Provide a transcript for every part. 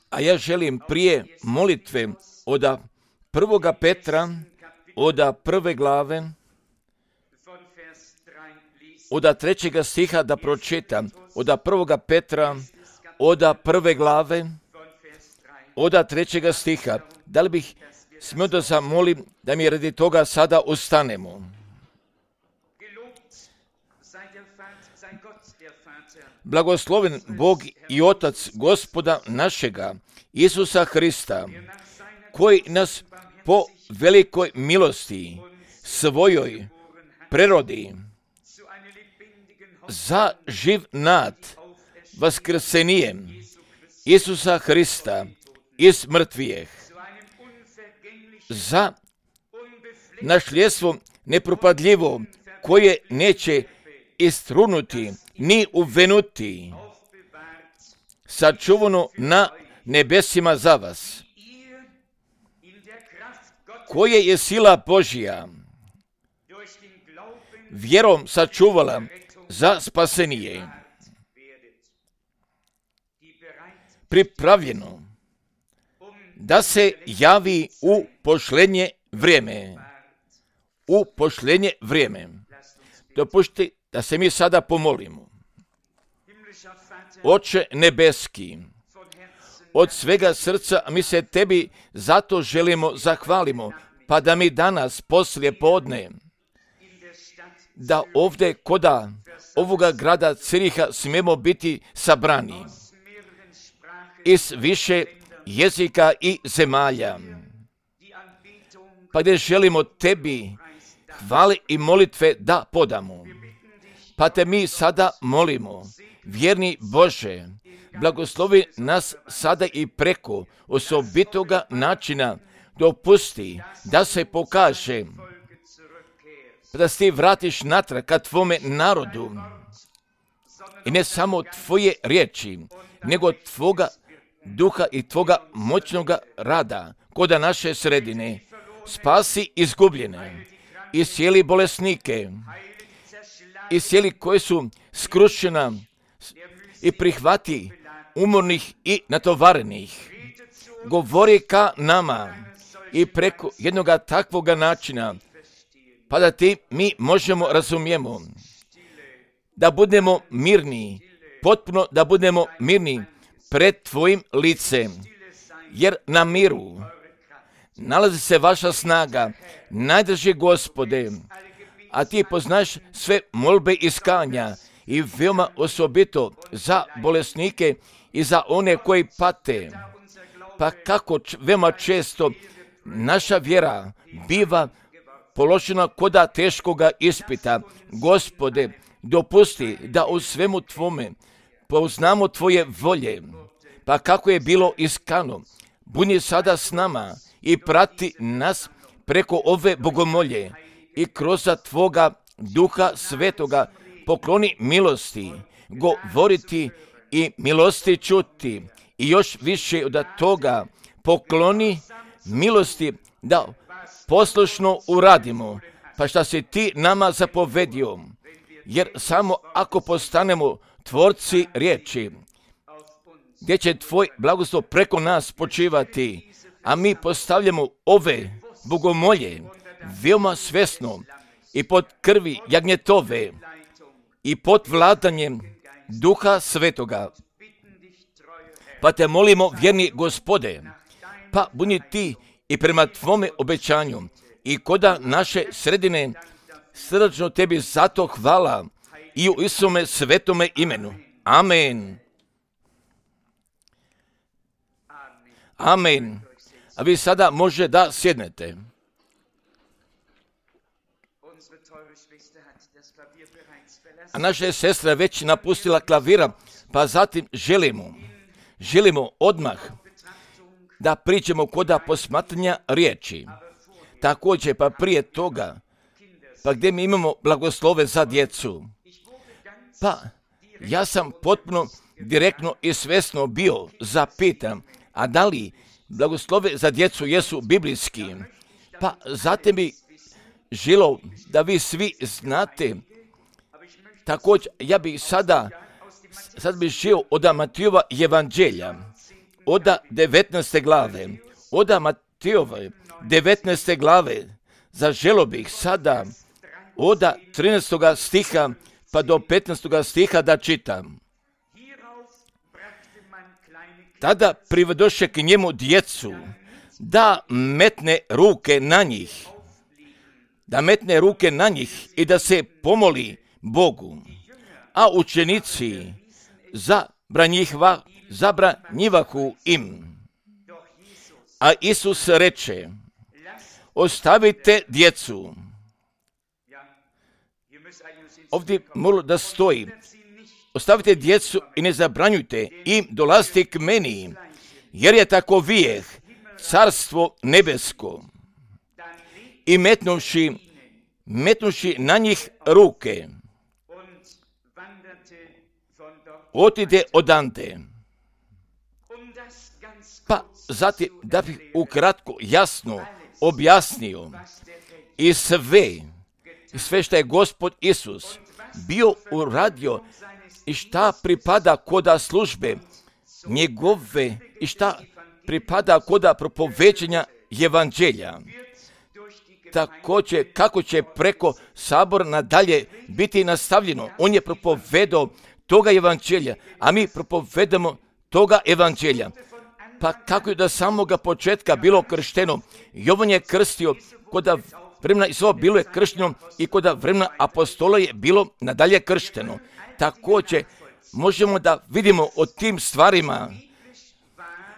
A ja želim prije molitve od 1. Petra, od 1. glave, od 3. stiha da pročitam. Od 1. Petra, od 1. glave, od 3. stiha. Da li bih smio da zamolim da mi radi toga sada ustanemo? Blagosloven Bog i Otac Gospoda našega, Isusa Hrista, koji nas po velikoj milosti svojoj prerodi za živ nad vaskrsenjem Isusa Hrista iz mrtvijeh, za nasljedstvo nepropadljivo koje neće istrunuti ni uvenuti, sačuvano na nebesima za vas, koje je sila Božja vjerom sačuvala za spasenije, pripravljeno da se javi u posljednje vrijeme. U posljednje vrijeme. Dopušti da se mi sada pomolimo. Oče nebeski, od svega srca mi se tebi zato želimo zahvalimo, pa da mi danas poslije podne, da ovdje koda ovoga grada Ciriha smijemo biti sabrani iz više jezika i zemalja, pa gdje želimo tebi hvale i molitve da podamo. Pa te mi sada molimo, vjerni Bože, blagoslovi nas sada i preko osobitoga načina, dopusti da se pokaže, da se ti vratiš natrag ka tvome narodu i ne samo tvoje riječi, nego tvoga duha i tvoga moćnoga rada koda naše sredine. Spasi izgubljene, iscijeli bolesnike, iscijeli koji su skrušena i prihvati umornih i natovarenih. Govori ka nama i preko jednoga takvoga načina, pa da ti mi možemo razumijemo, da budemo mirni, potpuno da budemo mirni pred tvojim licem, jer na miru nalazi se vaša snaga, najdrži Gospode, a ti poznaš sve molbe iskanja i veoma osobito za bolesnike i za one koji pate. Pa kako veoma često naša vjera biva položena koda teškoga ispita. Gospode, dopusti da u svemu tvome poznamo tvoje volje, pa kako je bilo iskano, budi sada s nama i prati nas preko ove bogomolje i kroz tvoga duha svetoga pokloni milosti, govoriti i milosti čuti i još više od toga pokloni milosti da poslušno uradimo, pa šta si ti nama zapovedio, jer samo ako postanemo tvorci riječi, gdje će tvoj blagoslov preko nas počivati, a mi postavljamo ove bogomolje veoma svjesno i pod krvi jagnjetove i pod vladanjem Duha Svetoga. Pa te molimo, vjerni Gospode, pa budi ti i prema tvome obećanju i koda naše sredine srdačno tebi zato hvala i u Isome svetome imenu. Amen. Amen. A vi sada može da sjednete. A naša sestra već napustila klavira, pa zatim želimo odmah da pričamo koda posmatranja riječi. Također, pa prije toga, pa gdje mi imamo blagoslove za djecu. Pa ja sam potpuno direktno i svjesno bio zapitan, a da li blagoslove za djecu jesu biblijski? Pa zatim bi želio da vi svi znate. Također, ja bih sada sad bih žio od Matijova evanđelja, od 19. glave, od Matijove 19. glave, zaželo bih sada od 13. stiha pa do 15. stiha da čitam. Tada privedoše k njemu djecu, da metne ruke na njih i da se pomoli Bogu. A učenici zabranjivahu im. A Isus reče, ostavite djecu. Ovdje moralo da stoji, ostavite djecu i ne zabranjujte im dolaziti k meni, jer je tako vijeh carstvo nebesko. I metnuši na njih ruke, otide odande. Pa zatim, da bih ukratko jasno objasnio i sve što je Gospod Isus bio uradio i šta pripada koda službe njegove i šta pripada koda propoveđenja evanđelja. Također, kako će preko sabora nadalje biti nastavljeno. On je propovedao toga evanđelja, a mi propovedamo toga evanđelja. Pa kako je do samoga početka bilo kršteno, Jovan je krstio, koda vremena Isova bilo je kršteno i koda vremena apostola je bilo nadalje kršteno. Također, možemo da vidimo o tim stvarima.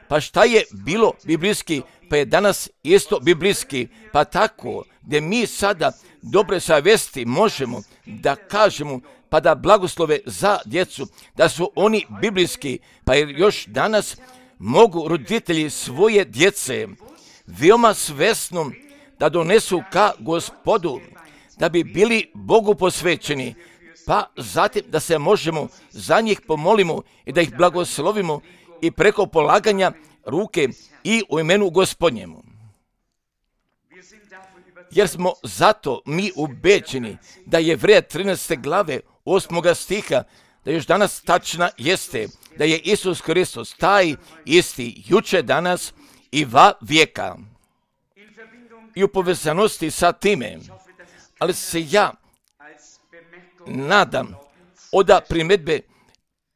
Pa šta je bilo biblijski, pa je danas isto biblijski. Pa tako, gdje mi sada dobre savjesti možemo da kažemo, pa da blagoslove za djecu, da su oni biblijski, pa jer još danas mogu roditelji svoje djece veoma svesno da donesu ka Gospodu, da bi bili Bogu posvećeni, pa zatim da se možemo za njih pomolimo i da ih blagoslovimo i preko polaganja ruke i u imenu Gospodnjemu. Jer smo zato mi ubeđeni da je Jevreja 13. glave 8. stiha, da još danas tačna jeste, da je Isus Hristos taj isti juče, danas i va vijeka. I u povezanosti sa time, ali se ja nadam od primjedbe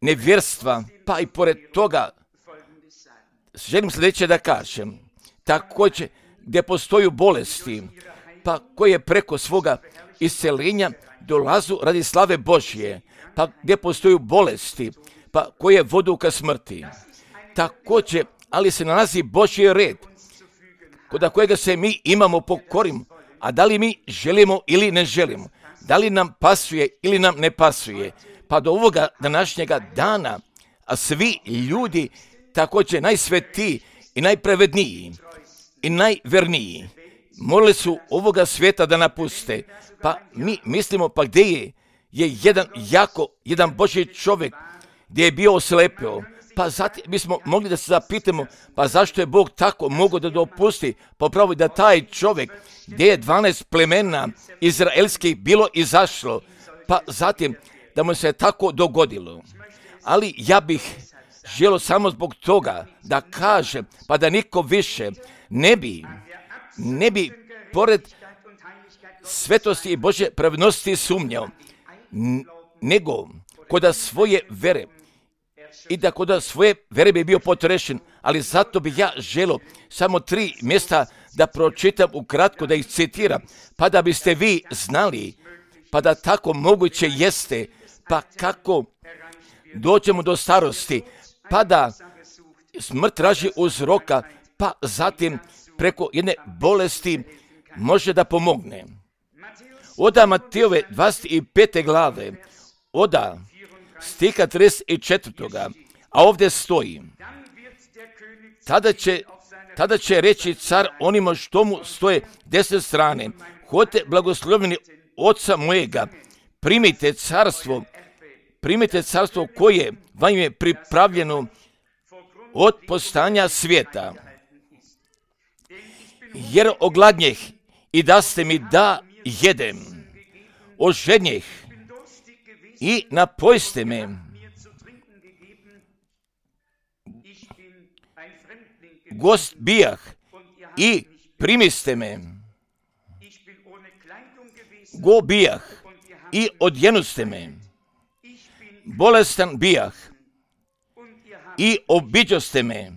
nevjerstva, pa i pored toga želim sljedeće da kažem. Također, gdje postoju bolesti, pa koje preko svoga isceljenja dolazu radi slave Božje, pa gdje postoju bolesti, pa koje vodu ka smrti. Također, ali se nalazi Božji red, kod kojega se mi imamo pokorim, a da li mi želimo ili ne želimo, da li nam pasuje ili nam ne pasuje, pa do ovoga današnjega dana, a svi ljudi, također najsvetiji i najpravedniji i najverniji, morali su ovoga svijeta da napuste, pa mi mislimo, pa gdje je jedan Božji čovjek gdje je bio oslepio, pa zatim bismo mogli da se zapitamo, pa zašto je Bog tako mogao da dopusti, popravo da taj čovjek gdje je 12 plemena izraelskih bilo izašlo, pa zatim da mu se tako dogodilo. Ali ja bih želio samo zbog toga da kažem, pa da niko više ne bi pored svetosti i Božje pravednosti sumnjao, nego koda svoje vere i da koda svoje vere bi bio potrešen, ali zato bi ja želio samo 3 mjesta da pročitam ukratko, da ih citiram, pa da biste vi znali, pa da tako moguće jeste, pa kako dođemo do starosti, pa da smrt traži uzroka, pa zatim preko jedne bolesti može da pomogne. Oda Matijove 25. glave, oda stiha 34. A ovdje stoji, tada će reći car onima što mu stoje desne strane, hodite blagoslovljeni oca mojega, primite carstvo koje vam je pripravljeno od postojanja svijeta. Jer ogladnjeh i daste mi da jedem, ožednjeh i napojste me, gost bijah i primiste me. Go bijah i odjenuste me. Bolestan bijah i obiđoste me.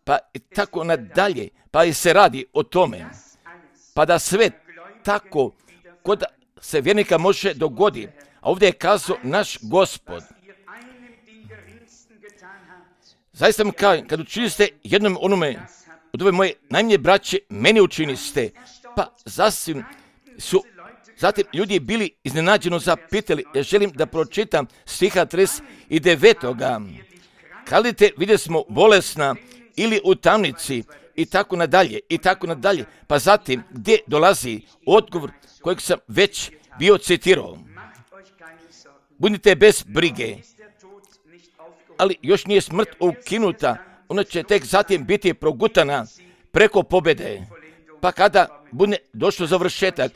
Pa i tako nadalje, pa i se radi o tome. Pa da sve tako kod se vjernika može dogoditi. A ovdje je kazao naš Gospod. Zaista mi kažem, kad učiniste jednom onome od ove moje najmanje braće, meni učiniste. Pa zatim ljudi bili iznenađeno zapitali. Ja želim da pročitam stiha 39. Kadite, vidjeli smo bolesna ili u tamnici i tako nadalje, i tako nadalje. Pa zatim, gdje dolazi odgovor kojeg sam već bio citirao. Budite bez brige, ali još nije smrt ukinuta, ona će tek zatim biti progutana preko pobjede. Pa kada bude došlo završetak,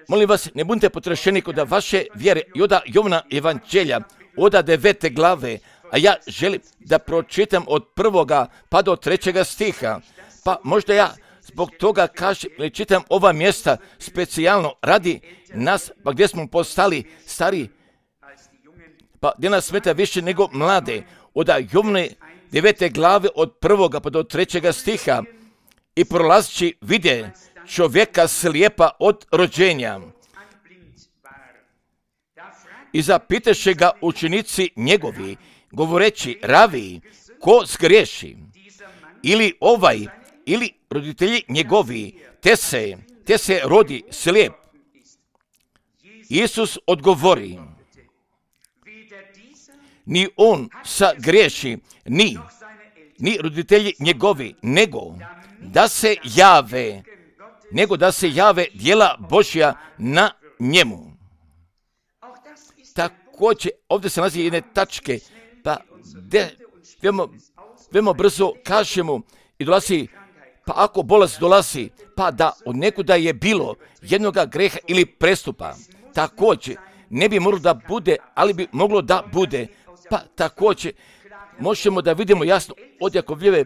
molim vas, ne budite potrešeni kod vaše vjere i od Jovana evanđelja, od 9. glave, a ja želim da pročitam od 1. pa do 3. stiha. Pa možda ja zbog toga kažem, ili čitam ova mjesta specijalno radi nas, pa gdje smo postali stari, pa gdje nas smeta više nego mlade. Od Jovane 9. glave od 1. pa do 3. stiha. I prolazići vide čovjeka slijepa od rođenja. I zapitaše ga učenici njegovi, govoreći, ravi, ko zgriješi? Ili ovaj, ili roditelji njegovi, te se rodi slijep. Isus odgovori, ni on sagriješi, ni roditelji njegovi, nego da se jave djela Božja na njemu. Također, ovdje se nalazi jedne tačke, pa veoma brzo kažemo i dolazi, pa ako bolest dolazi, pa da od nekuda je bilo jednoga greha ili prestupa, također ne bi moglo da bude, ali bi moglo da bude, pa također možemo da vidimo jasno od Jakovljeve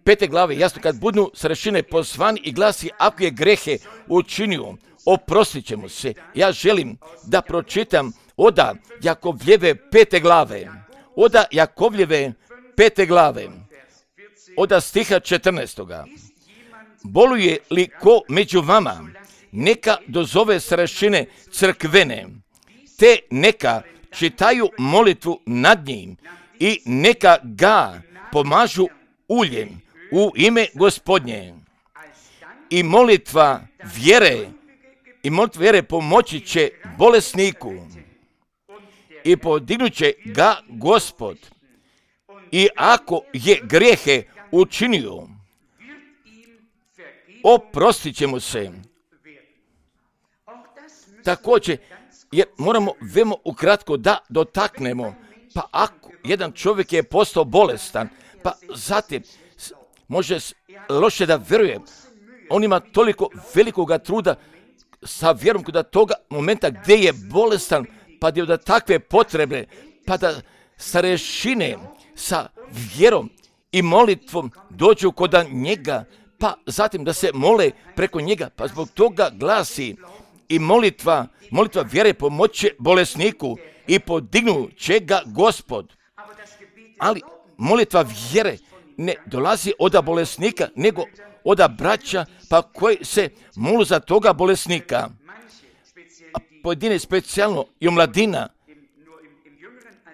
5. glave, jasno kad budu starešine pozvani i glasi, ako je grehe učinio, oprostit će mu se. Ja želim da pročitam od Jakovljeve 5. glave, od Jakovljeve 5. glave, od stiha 14. Boluje li ko među vama, neka dozove starešine crkvene, te neka čitaju molitvu nad njim i neka ga pomažu uljem u ime Gospodnje. I molitva vjere pomoći će bolesniku i podignut će ga Gospod. I ako je grijehe učinio, oprostit će mu se. Također, jer moramo veoma ukratko da dotaknemo, pa ako jedan čovjek je postao bolestan, pa zatim može loše da vjeruje, on ima toliko velikoga truda sa vjerom kod toga momenta gdje je bolestan, pa gdje da takve potrebe, pa da starešine sa vjerom i molitvom dođu kod njega, pa zatim da se mole preko njega, pa zbog toga glasi i molitva vjere pomoće bolesniku i podignu će ga Gospod. Ali molitva vjere ne dolazi od bolesnika, nego od braća, pa koji se molu za toga bolesnika. A pojedine specijalno i omladina,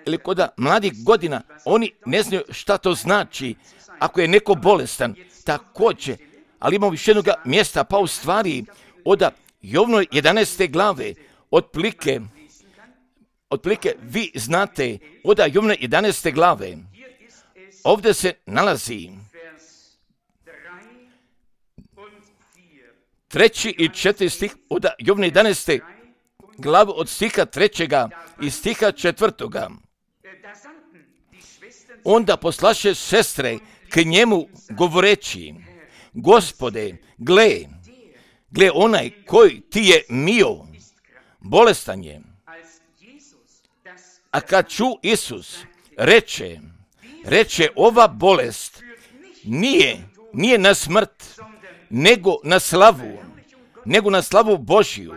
ili kod mladih godina, oni ne znaju šta to znači ako je neko bolestan. Također, ali imamo još jednog mjesta, pa u stvari od Jovnoj 11. glave, otprilike vi znate, od Jovnoj 11. glave, ovdje se nalazi 3. i 4. stih od Jovne 11. glave od stiha 3. i stiha 4. Onda poslaše sestre k njemu govoreći, Gospode, gle onaj koji ti je mio, bolestan je. A kad ču Isus reče ova bolest nije na smrt, nego na slavu Božiju,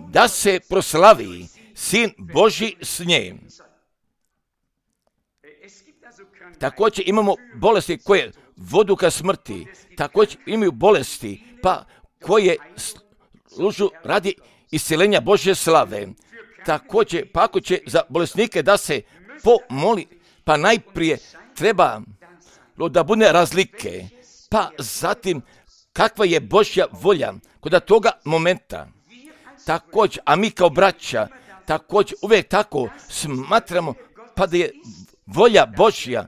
da se proslavi Sin Božji s nje. Također imamo bolesti koje vodu ka smrti, također imaju bolesti koje služu radi isceljenja Božje slave. Također, pa ako će za bolesnike da se pomoli, pa najprije treba da bude razlike, pa zatim kakva je Božja volja kod toga momenta. Također, a mi kao braća, također uvijek tako smatramo, pa da je volja Božja,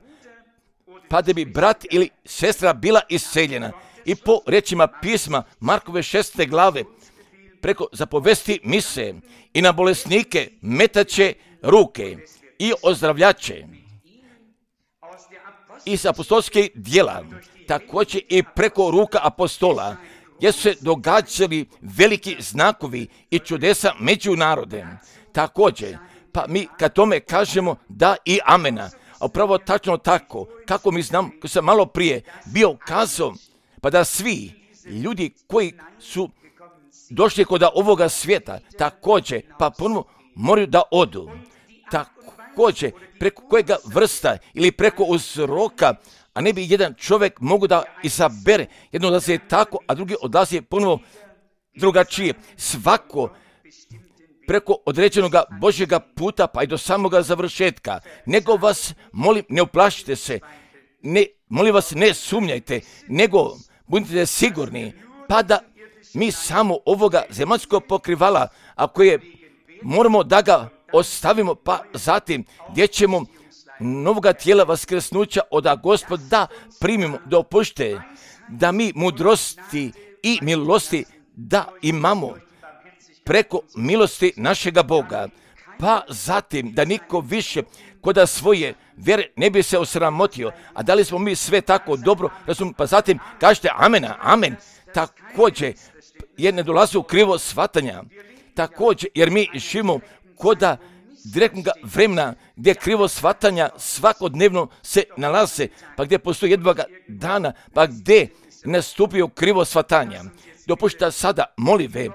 pa da bi brat ili sestra bila isceljena. I po riječima pisma Markove 6. glave, preko zapovesti mise i na bolesnike metaće ruke i ozdravljaće. Iz apostolskih djela, također i preko ruka apostola, gdje su se događali veliki znakovi i čudesa među narodem. Također, pa mi kad tome kažemo da i amena, a upravo tačno tako, kako mi znam, ko sam malo prije bio kazao, pa da svi ljudi koji su došli kod ovoga svijeta, također, pa ponovo moraju da odu. Također, preko kojega vrsta ili preko uzroka, a ne bi jedan čovjek mogu da izabere, jedno odlazi tako, a drugi odlazi ponovo drugačije. Svako preko određenog Božjega puta, pa i do samoga završetka. Nego vas, molim, ne uplašite se, molim vas, ne sumnjajte, nego budite sigurni, pa da mi samo ovoga zemaljskog pokrivala, ako je, moramo da ga ostavimo, pa zatim gdje ćemo novoga tijela vaskrsnuća od Gospod da primimo, da opušte, da mi mudrosti i milosti da imamo preko milosti našega Boga, pa zatim da niko više koda svoje vjere ne bi se osramotio. A da li smo mi sve tako dobro razumili? Pa zatim kažete amen. Također, jer ne dolazi u krivo shvatanja. Također, jer mi živimo koda direktnog vremena gdje krivo shvatanja svakodnevno se nalaze, pa gdje postoji jednoga dana, pa gdje nastupio krivo shvatanja. Dopušta sada molive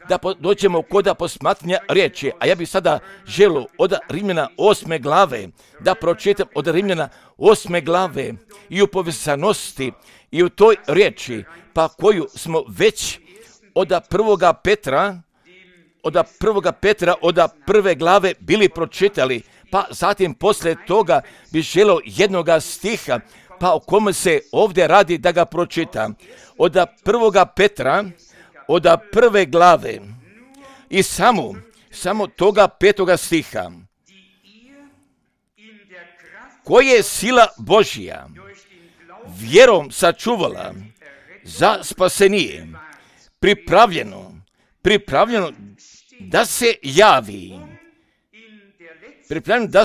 da dođemo koda posmatranja riječi, a ja bih sada želio od Rimljana 8. glave da pročitam od Rimljana 8. glave i u povezanosti i u toj riječi, pa koju smo već od 1. Petra od 1. glave bili pročitali, pa zatim poslije toga bi želio jednoga stiha, pa o kome se ovdje radi da ga pročita. Od 1. Petra, od 1. glave i samo toga 5. stiha. Koje je sila Božja vjerom sačuvala za spasenije, pripravljeno da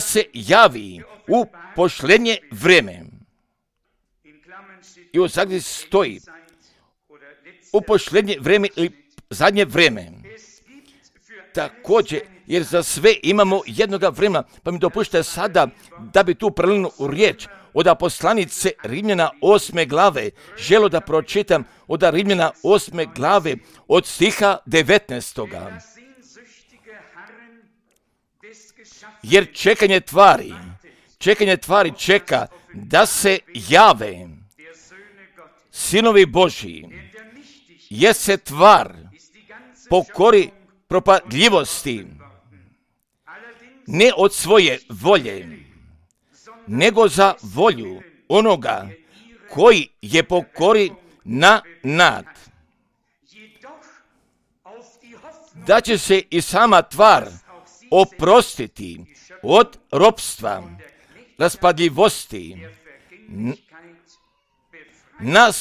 se javi u posljednje vrijeme. I u zagradi stoji u posljednje vrijeme ili zadnje vrijeme. Također, jer za sve imamo jednoga vremena, pa mi dopušte sada da bi tu prelinu riječ od poslanice Rimljana 8. glave, želo da pročitam od Rimljana 8. glave od stiha 19. Jer čekanje tvari čeka da se jave sinovi Božji, jer se tvar pokori propadljivosti, ne od svoje volje, nego za volju onoga koji je pokori na nad. Da će se i sama tvar oprostiti od ropstva, raspadljivosti, na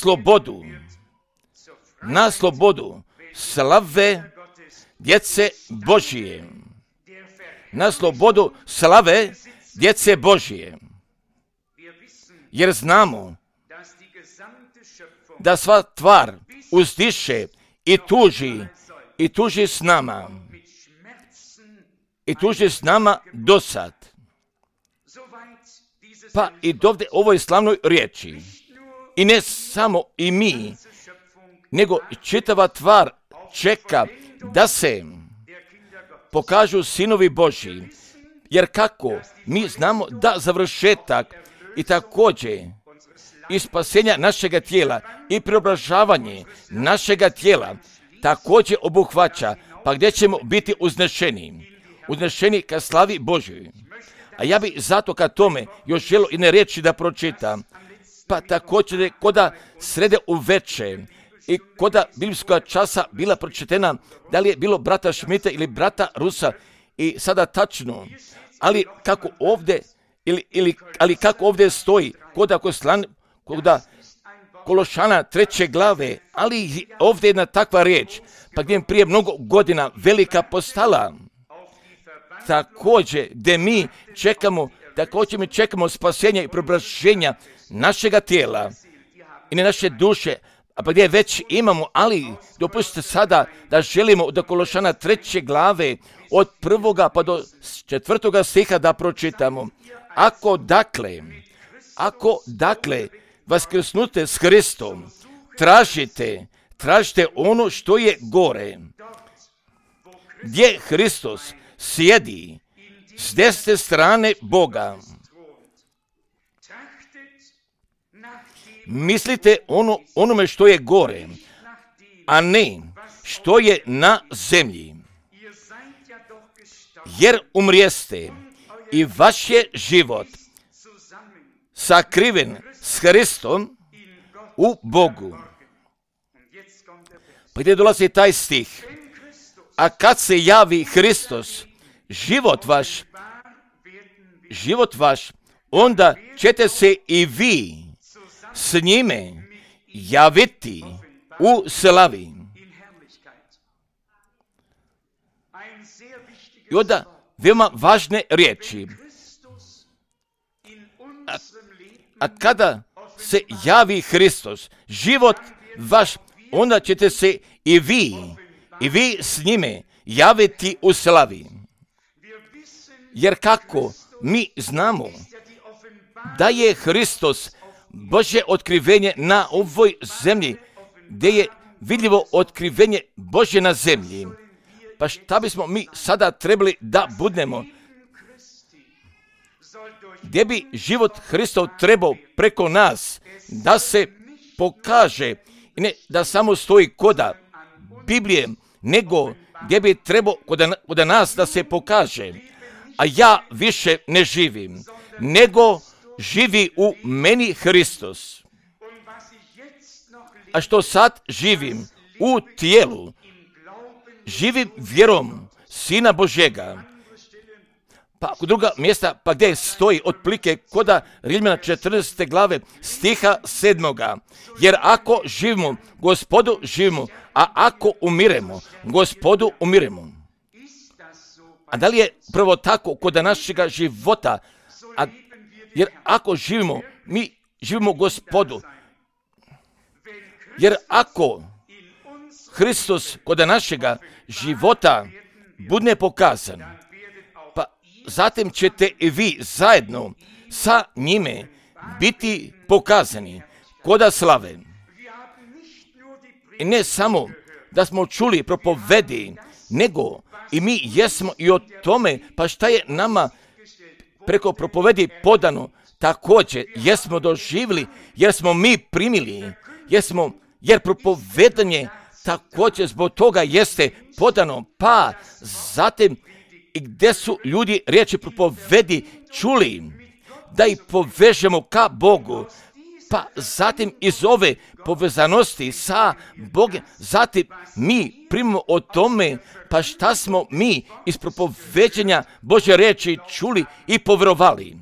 slobodu slave djece Božije. Na slobodu slave djece Božije. Jer znamo da sva tvar uzdiše i tuži s nama. I tuži s nama dosad. Pa i dovde ovoj slavnoj riječi. I ne samo i mi, nego čitava tvar čeka da se pokažu sinovi Božji. Jer kako mi znamo da završetak i također i spasenja našega tijela i preobražavanje našega tijela također obuhvaća, pa gdje ćemo biti uznešeni ka slavi Božjoj. A ja bi zato ka tome još želio i ne riječi da pročitam, pa također koda srede uveče i koda biblijskog časa bila pročitena, da li je bilo brata Šmita ili brata Rusa, i sada tačno, ali kako ovdje, ali kako ovdje stoji, koda Kološana 3. glave, ali ovdje je jedna takva riječ, pa gdje je prije mnogo godina velika postala. Također, gdje mi čekamo spasenje i preobraženja našega tijela i ne naše duše, a pa gdje već imamo, ali dopustite sada da želimo od Kološana 3. glave od 1. pa do 4. stiha da pročitamo. Ako dakle vaskrsnute s Hristom, tražite ono što je gore, gdje Hristos sjedi s desne strane Boga. Mislite onome što je gore, a ne što je na zemlji. Jer umrijeste i vaš je život sakriven s Hristom u Bogu. Pa gdje dolazi taj stih? A kad se javi Hristos, život vaš, onda ćete se i vi s njime javiti u slavi. I onda veoma važne riječi. A kada se javi Hristos, život vaš, onda ćete se i vi s njime javiti u slavi. Jer kako mi znamo da je Hristos Božje otkrivenje na ovoj zemlji, gdje je vidljivo otkrivenje Božje na zemlji. Pa šta bismo mi sada trebali da budemo? Gdje bi život Hristov trebao preko nas da se pokaže, i ne da samo stoji koda Biblije, nego gdje bi trebao kod nas da se pokaže. A ja više ne živim, nego živi u meni Hristos. A što sad živim u tijelu, živim vjerom Sina Božjega. Pa kod druga mjesta, pa gdje stoji otplike koda Rimljana 14. glave stiha 7. Jer ako živimo, Gospodu živimo, a ako umiremo, Gospodu umiremo. A da li je prvo tako kod našega života? Jer ako živimo, mi živimo Gospodu. Jer ako Hristos kod našega života bude pokazan, pa zatim ćete i vi zajedno sa njime biti pokazani koda slave. I ne samo da smo čuli propovedi, nego i mi jesmo i o tome, pa šta je nama preko propovedi podano, također jesmo doživjeli, jer smo mi primili, jer propovedanje također zbog toga jeste podano, pa zatim i gdje su ljudi riječi propovedi čuli, da ih povežemo ka Bogu, pa zatim iz ove povezanosti sa Bogom, zatim mi primimo o tome, pa šta smo mi iz propoveđenja Božje riječi čuli i povjerovali.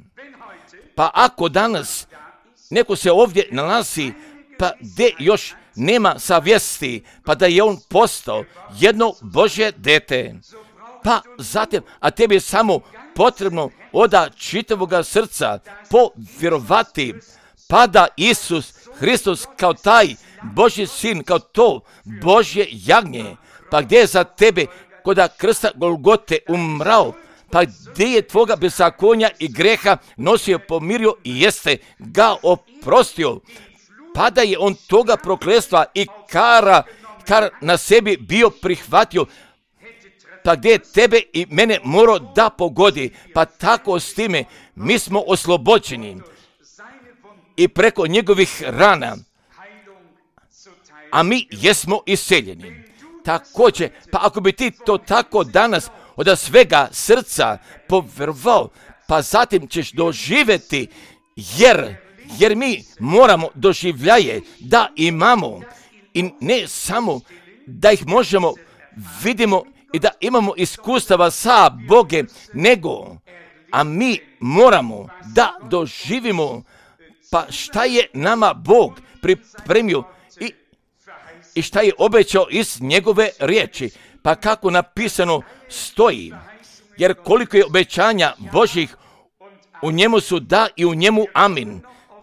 Pa ako danas neko se ovdje nalazi, pa gdje još nema savjesti, pa da je on postao jedno Božje dete, pa zatim, a tebi je samo potrebno od čitavoga srca povjerovati, pa da Isus Hristos kao taj Božji sin, kao to Božje jagnje, pa gdje je za tebe kod krsta Golgote umrao, Pa gdje je tvoga bezakonja i greha nosio, pomirio i jeste ga oprostio. Pa da je on toga prokletstva i kar na sebi bio prihvatio, pa gdje je tebe i mene morao da pogodi, pa tako s time mi smo oslobođeni i preko njegovih rana, a mi jesmo isceljeni. Također, pa ako bi ti to tako danas od svega srca povjerovao, pa zatim ćeš doživjeti, jer mi moramo doživljaje da imamo i ne samo da ih možemo vidimo i da imamo iskustava sa Bogem, nego, a mi moramo da doživimo pa šta je nama Bog pripremio i šta je obećao iz njegove riječi, pa kako napisano stoji, jer koliko je obećanja Božjih, u njemu su da i u njemu amin.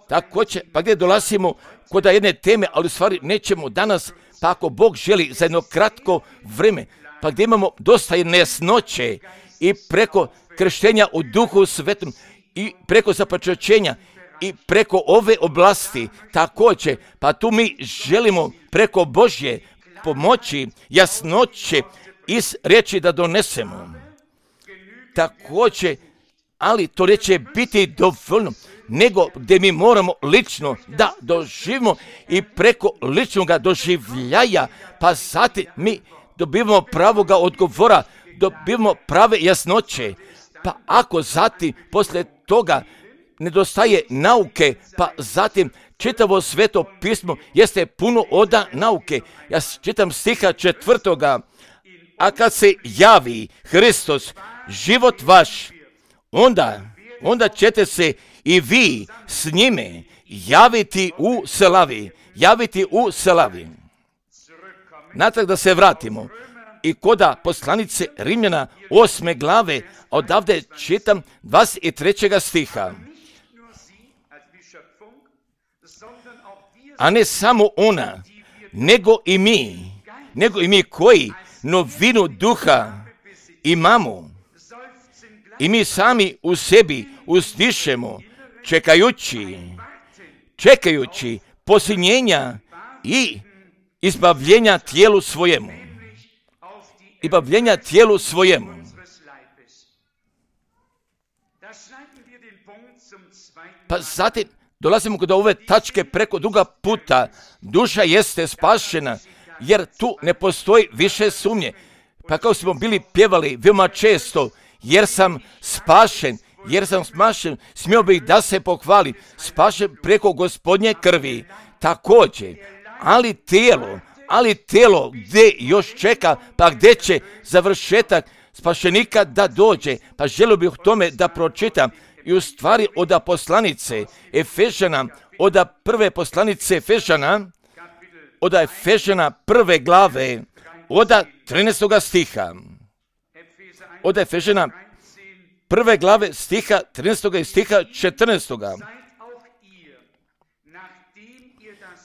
Također, pa gdje dolazimo kod jedne teme, ali u stvari nećemo danas, pa ako Bog želi za jedno kratko vrijeme, pa gdje imamo dosta nejasnoće i preko krštenja u Duhu Svetom i preko započećenja i preko ove oblasti također, pa tu mi želimo preko Božje pomoći, jasnoće iz riječi da donesemo. Također, ali to neće biti dovoljno, nego gdje mi moramo lično da doživimo i preko ličnog doživljaja, pa zatim mi dobivamo pravoga odgovora, dobivamo prave jasnoće, pa ako zatim poslije toga nedostaje nauke, pa zatim čitavo Sveto pismo jeste puno od nauke. Ja čitam stiha 4. A kad se javi Hristos, život vaš, onda ćete se i vi s njime javiti u slavi. Natrag da se vratimo i koda poslanice Rimljana 8. glave, odavde čitam 23. stiha. A ne samo ona, nego i mi koji novinu duha imamo. I mi sami u sebi uzdišemo, čekajući posljednjenja i izbavljenja tijelu svojemu. Pa zatim dolazimo kod ove tačke preko druga puta. Duša jeste spašena, jer tu ne postoji više sumnje. Pa kao smo bili pjevali veoma često, jer sam spašen, smio bih da se pohvali, spašen preko Gospodnje krvi. Također, ali tijelo gdje još čeka, pa gdje će završetak spašenika da dođe, pa želio bih tome da pročitam i u stvari od poslanice Efežana, od prve poslanice Efežana, od Efežana 1. glave, od 13. stiha. Od Efežana 1. glave stiha 13. i stiha 14.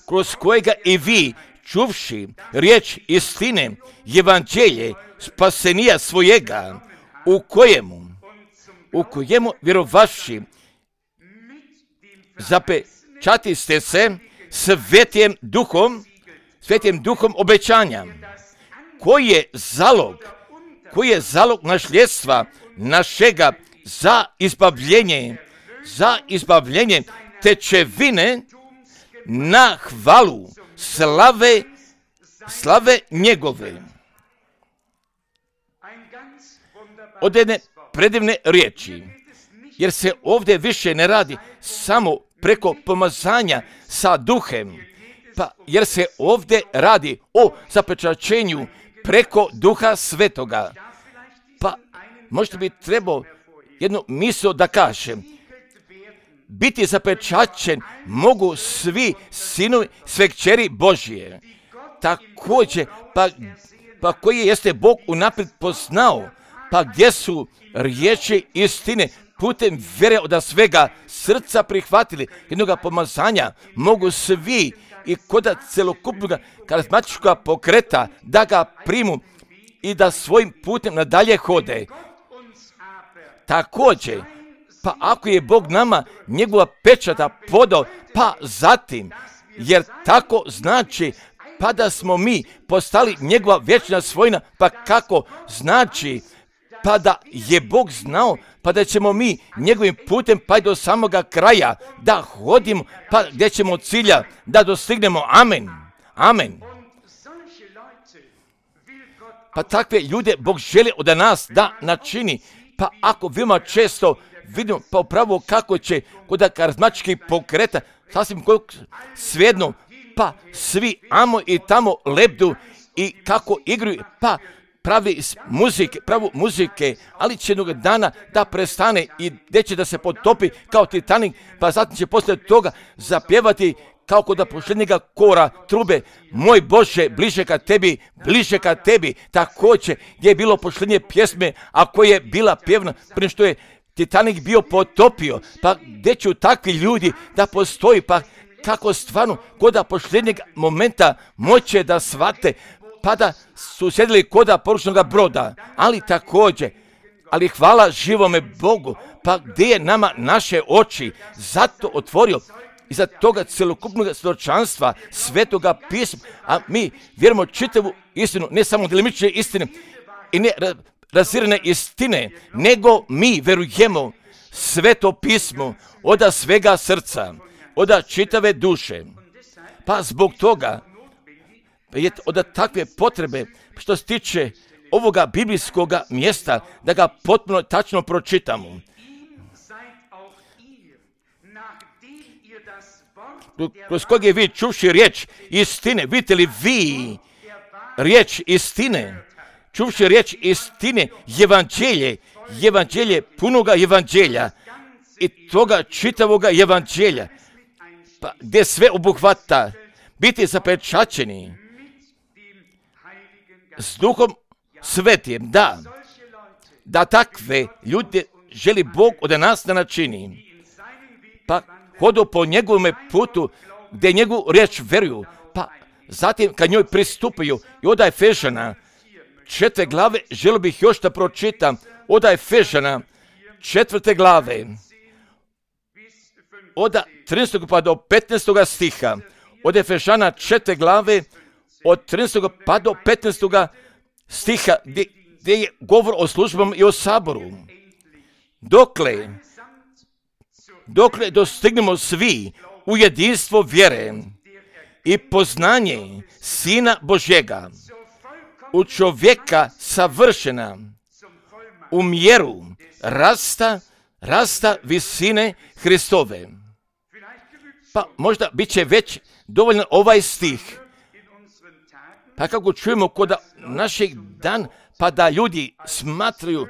Kroz kojega i vi, čuvši riječ istine, evanđelje spasenija svojega, u kojemu vjerovavši zapečatiste se svetim duhom obećanja, koji je zalog nasljedstva našega za izbavljenje tečevine na hvalu slave njegove. Od jedne predivne riječi, jer se ovdje više ne radi samo preko pomazanja sa duhem, pa jer se ovdje radi o zapečaćenju preko Duha Svetoga. Pa možda bi trebao jednu misao da kažem. Biti zapečaćen mogu svi sinovi, sve kćeri Božije. Također, pa koji jeste Bog unaprijed poznao, pa gdje su riječi istine putem vjere od svega srca prihvatili jednoga pomazanja, mogu svi i kod celokupnog karizmatičkog pokreta da ga primu i da svojim putem nadalje hode. također, pa ako je Bog nama njegova pečata podao, pa zatim, jer tako znači, pa da smo mi postali njegova vječna svojina, pa kako znači, pa da je Bog znao, pa da ćemo mi njegovim putem pa i do samoga kraja da hodimo, pa gdje ćemo cilja da dostignemo. Amen. Amen. Pa takve ljude Bog želi od nas da načini. Pa ako veoma često vidimo pa upravo kako će kod karizmatičkih pokreta, sasvim svejedno, pa svi amo i tamo lebdu i kako igraju, pa pravi muzike, ali će jednog dana da prestane i gdje će da se potopi kao Titanik, pa zatim će poslije toga zapjevati kao kod posljednjega kora trube, moj Bože, bliže ka tebi, također gdje je bilo posljednje pjesme, a koja je bila pjevna prije što je Titanik bio potopio, pa gdje će takvi ljudi da postoji, pa kako stvarno kod posljednjeg momenta moće da shvate, pa da su sjedili kod poručnog broda, ali također, ali hvala živome Bogu, pa gdje je nama naše oči zato otvorio iza toga celokupnog svjedočanstva Svetoga pisma, a mi vjerujemo čitavu istinu, ne samo delimične istine i ne razirane istine, nego mi verujemo Sveto pismo od svega srca, od čitave duše. Pa zbog toga je od takve potrebe što se tiče ovoga biblijskog mjesta da ga potpuno tačno pročitamo. Kroz kojeg je vi čuvši riječ istine, vidite li vi riječ istine, čuvši riječ istine, evanđelje punoga evanđelja i toga čitavoga evanđelja, pa gdje sve obuhvata, biti zapečaćeni s Duhom Svetim, da takve ljude želi Bog od nas da načini, pa hodu po njegovome putu gdje njegovu riječ veruju, pa zatim kad njoj pristupaju i od Efežana 4. glave, želio bih još da pročitam od Efežana 4. glave, od 13. pa do 15. stiha, od Efežana 4. glave, od 13. pa do 15. stiha, gdje je govor o službama i o saboru. Dokle dostignemo svi u jedinstvo vjere i poznanje Sina Božjega, u čovjeka savršena, u mjeru rasta visine Hristove. Pa možda bit će već dovoljno ovaj stih. Pa kako čujemo kod našeg dan, pa da ljudi smatraju,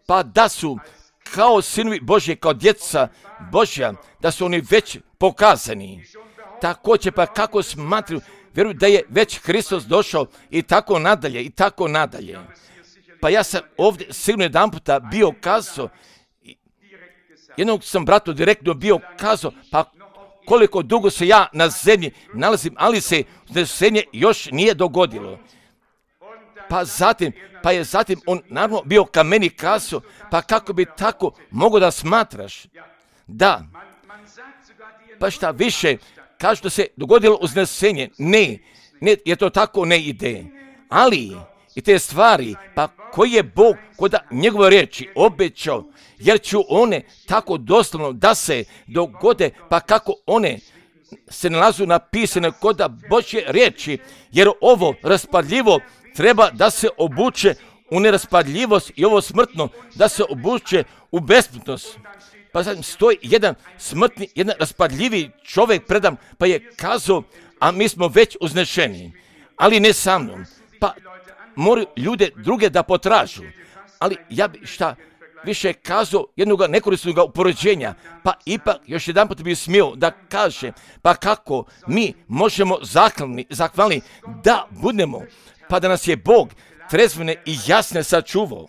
pa da su kao sinovi Božje, kao djeca Božja, da su oni već pokazani. Također pa kako smatraju, vjeruju da je već Hristos došao i tako nadalje. Pa ja sam ovdje sigurno jedan puta bio kazao, jednog sam bratu direktno bio kazao, pa koliko dugo se ja na zemlji nalazim, ali se uznesenje još nije dogodilo. Pa je zatim on naravno bio ka meni kazao, pa kako bi tako mogao da smatraš? Da, pa šta više, kažu da se dogodilo uznesenje. Ne, jer to tako ne ide. Ali i te stvari, pa koji je Bog kod njegove riječi obećao, jer ću one tako doslovno da se dogode, pa kako one se nalazu napisane kod Božje riječi, jer ovo raspadljivo treba da se obuče u neraspadljivost i ovo smrtno da se obuče u besmrtnost. Pa zatim stoji jedan smrtni, jedan raspadljivi čovjek predam, pa je kazao, a mi smo već uznešeni, ali ne sa mnom. Pa moraju ljude druge da potražu, ali ja bi šta više kazao jednog nekorisnog upoređenja, pa ipak još jedan put bi smio da kaže, pa kako mi možemo zahvalni da budemo, pa da nas je Bog trezvene i jasne sačuvao.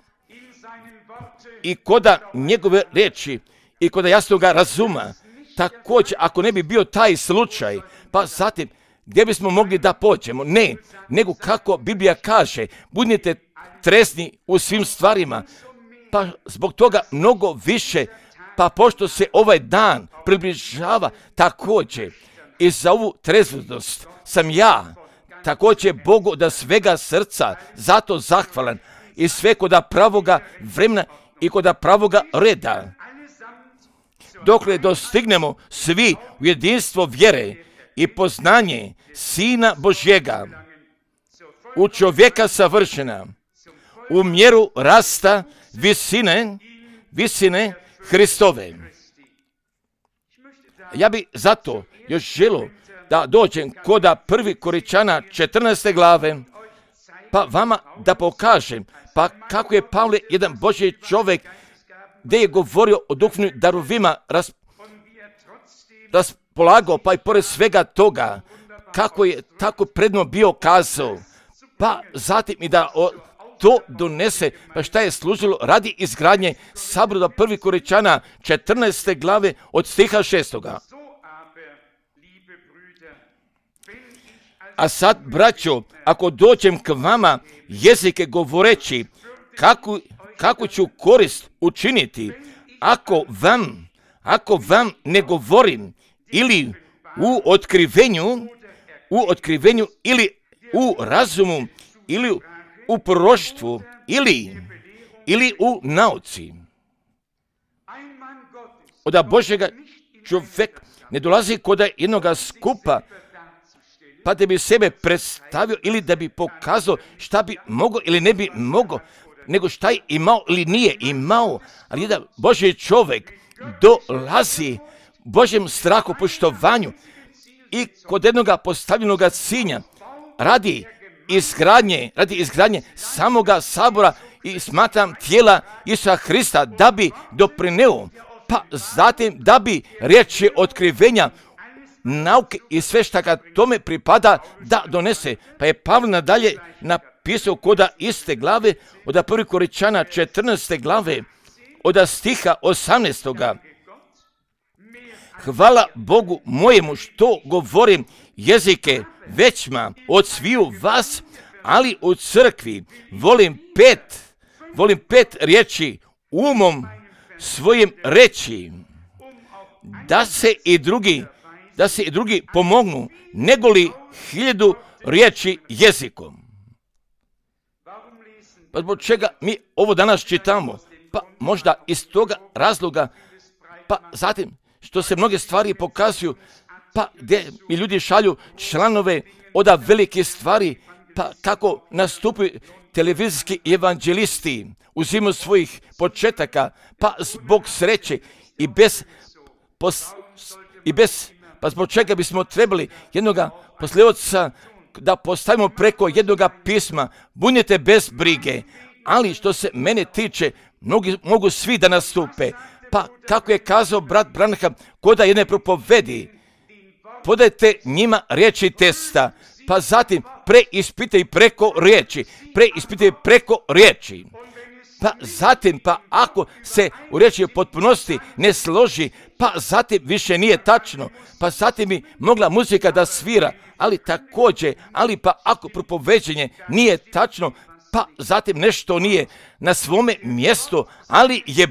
I koda njegove riječi i koda jasnoga razuma, također ako ne bi bio taj slučaj, pa zatim gdje bismo mogli da pođemo? Ne, nego kako Biblija kaže, budite trezni u svim stvarima, pa zbog toga mnogo više, pa pošto se ovaj dan približava također i za ovu trezvetost sam ja također Bogu da svega srca zato zahvalan i sve koda pravoga vremena i koda pravoga reda. Dokle dostignemo svi u jedinstvo vjere i poznanje Sina Božjega, u čovjeka savršena, u mjeru rasta visine Hristove. Ja bi zato još želio da dođem koda 1. Korinćana 14. glave, pa vama da pokažem, pa kako je Pavle jedan Božji čovjek, gdje je govorio o duhovnim darovima, raspolagao, pa i pored svega toga, kako je tako predno bio kazao, pa zatim i da to donese, pa šta je služilo radi izgradnje sabora 1. Korinćana 14. glave od stiha 6. A sad, braćo, ako dođem k vama jezike govoreći, kako ću korist učiniti, ako vam ne govorim ili u otkrivenju ili u razumu ili u proroštvu ili u nauci. Od Božjega čovjek ne dolazi kod jednoga skupa pa da bi sebe predstavio ili da bi pokazao šta bi mogao ili ne bi mogao, nego šta je imao ili nije imao. Ali jedan Božji čovjek dolazi Božjem strahu, poštovanju i kod jednoga postavljenoga cilja radi izgradnje samoga sabora i smatram tijela Isusa Hrista da bi doprineo, pa zatim da bi riječi otkrivenja, nauke i sve šta ga tome pripada da donese. Pa je Pavle nadalje napisao koda iste glave, od 1. Korinćana 14. glave, od stiha 18. Hvala Bogu mojemu što govorim jezike većma od sviju vas, ali u crkvi volim pet riječi umom svojim reći, da se i drugi pomognu, negoli 1000 riječi jezikom. Pa zbog čega mi ovo danas čitamo? Pa možda iz toga razloga, pa zatim što se mnoge stvari pokazuju, pa gdje mi ljudi šalju članove od velike stvari, pa kako nastupaju televizijski evanđelisti u zimu svojih početaka, pa zbog sreće pa zbog čega bismo trebali jednoga posljedovca da postavimo preko jednoga pisma, budite bez brige, ali što se mene tiče, mogu svi da nastupe. Pa kako je kazao brat Branham, koda jedne propovedi, podajte njima riječi testa, pa zatim preispitaj preko riječi. Pa zatim, pa ako se u riječi potpunosti ne složi, pa zatim više nije tačno, pa zatim bi mogla muzika da svira, ali pa ako propoveđenje nije tačno, pa zatim nešto nije na svome mjestu, ali je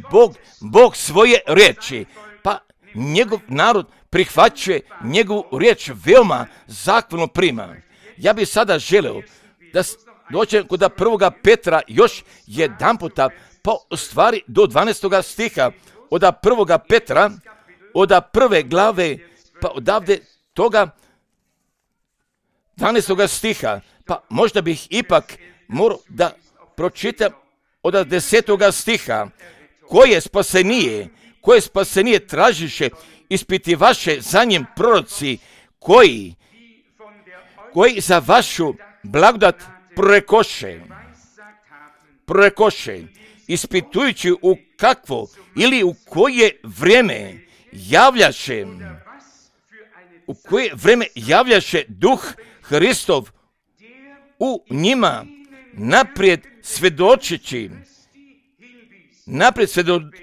Bog svoje riječi, pa njegov narod prihvaćuje njegovu riječ, veoma zahvalno prima. Ja bih sada želeo da dođem kod 1. Petra još jedan puta, pa u stvari do 12. stiha, od 1. Petra, od 1. glave, pa odavde toga 12. stiha, pa možda bih ipak morao da pročitam od 10. stiha, koje spasenije tražiše, ispitivaše za njim proroci, koji za vašu blagodat prorekoše, ispitujući u kakvo ili u koje vreme javljaše Duh Hristov u njima, naprijed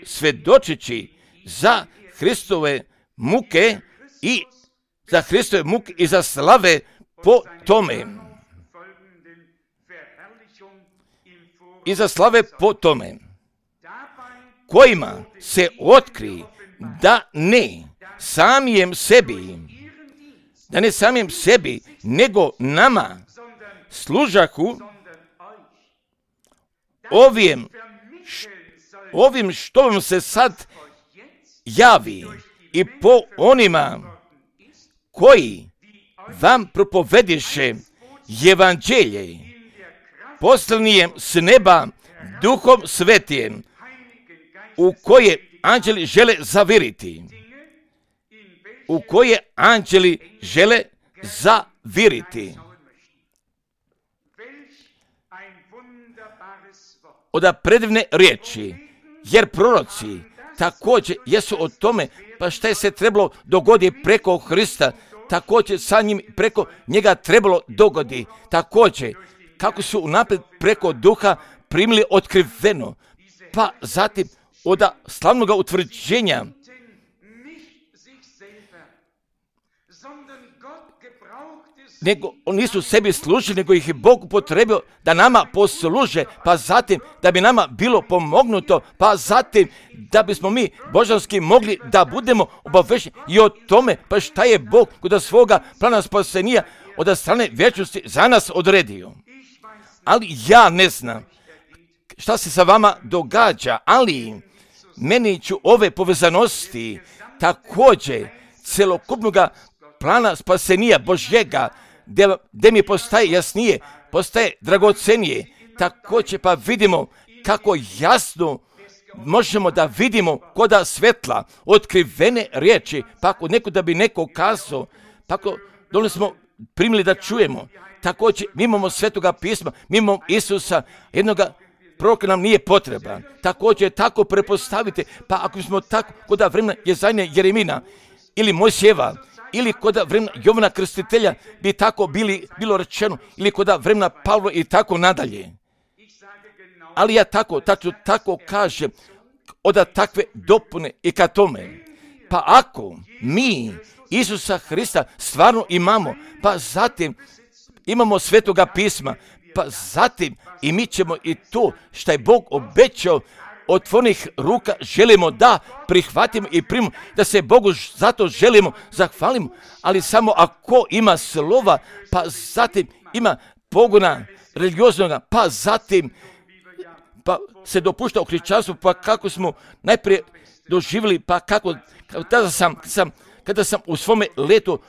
svjedočeći za Hristove muke i za slave po tome. kojima se otkri da ne samijem sebi, nego nama služahu ovim što vam se sad javi i po onima koji vam propovediše evanđelje poslanijem s neba Duhom Svetijem, u koje anđeli žele zaviriti. Oda predivne riječi, jer proroci također jesu o tome, pa šta je se trebalo dogoditi preko Hrista, također sa njim preko njega trebalo dogodi, također kako su unaprijed preko Duha primili otkriveno, pa zatim od slavnog utvrđenja nego oni nisu sebi služili, nego ih je Bog upotrebio da nama posluže, pa zatim da bi nama bilo pomognuto, pa zatim da bismo mi božanski mogli da budemo obavešeni i o tome, pa šta je Bog kod svoga plana spasenja od strane vječnosti za nas odredio. Ali ja ne znam šta se sa vama događa, ali meni ću ove povezanosti također celokupnog plana spasenja Božjega, gdje mi postaje jasnije, postaje dragocenije, također pa vidimo kako jasno možemo da vidimo koda svetla, otkrivene riječi, pa ako da bi neko kazao, pa ako dole smo primili da čujemo, također mi imamo Svetoga pisma, mi imamo Isusa, jednoga proroka nam nije potreban, također tako prepostavite, pa ako smo tako koda vremena Jezajne Jeremina ili Mojsijeva, ili kod vremena Jovana Krstitelja bi tako bilo rečeno, ili kod vremena Pavla i tako nadalje. Ali ja tako kažem, od takve dopune i ka tome. Pa ako mi Isusa Hrista stvarno imamo, pa zatim imamo Svetoga pisma, pa zatim i mi ćemo i to što je Bog obećao otvorenih ruka želimo da prihvatimo i primimo, da se Bogu zato želimo zahvalimo, ali samo ako ima slova, pa zatim ima pogona religioznoga, pa zatim pa se dopušta u hrišćanstvu, pa kako smo najprije doživjeli, pa kako kada sam u svome letu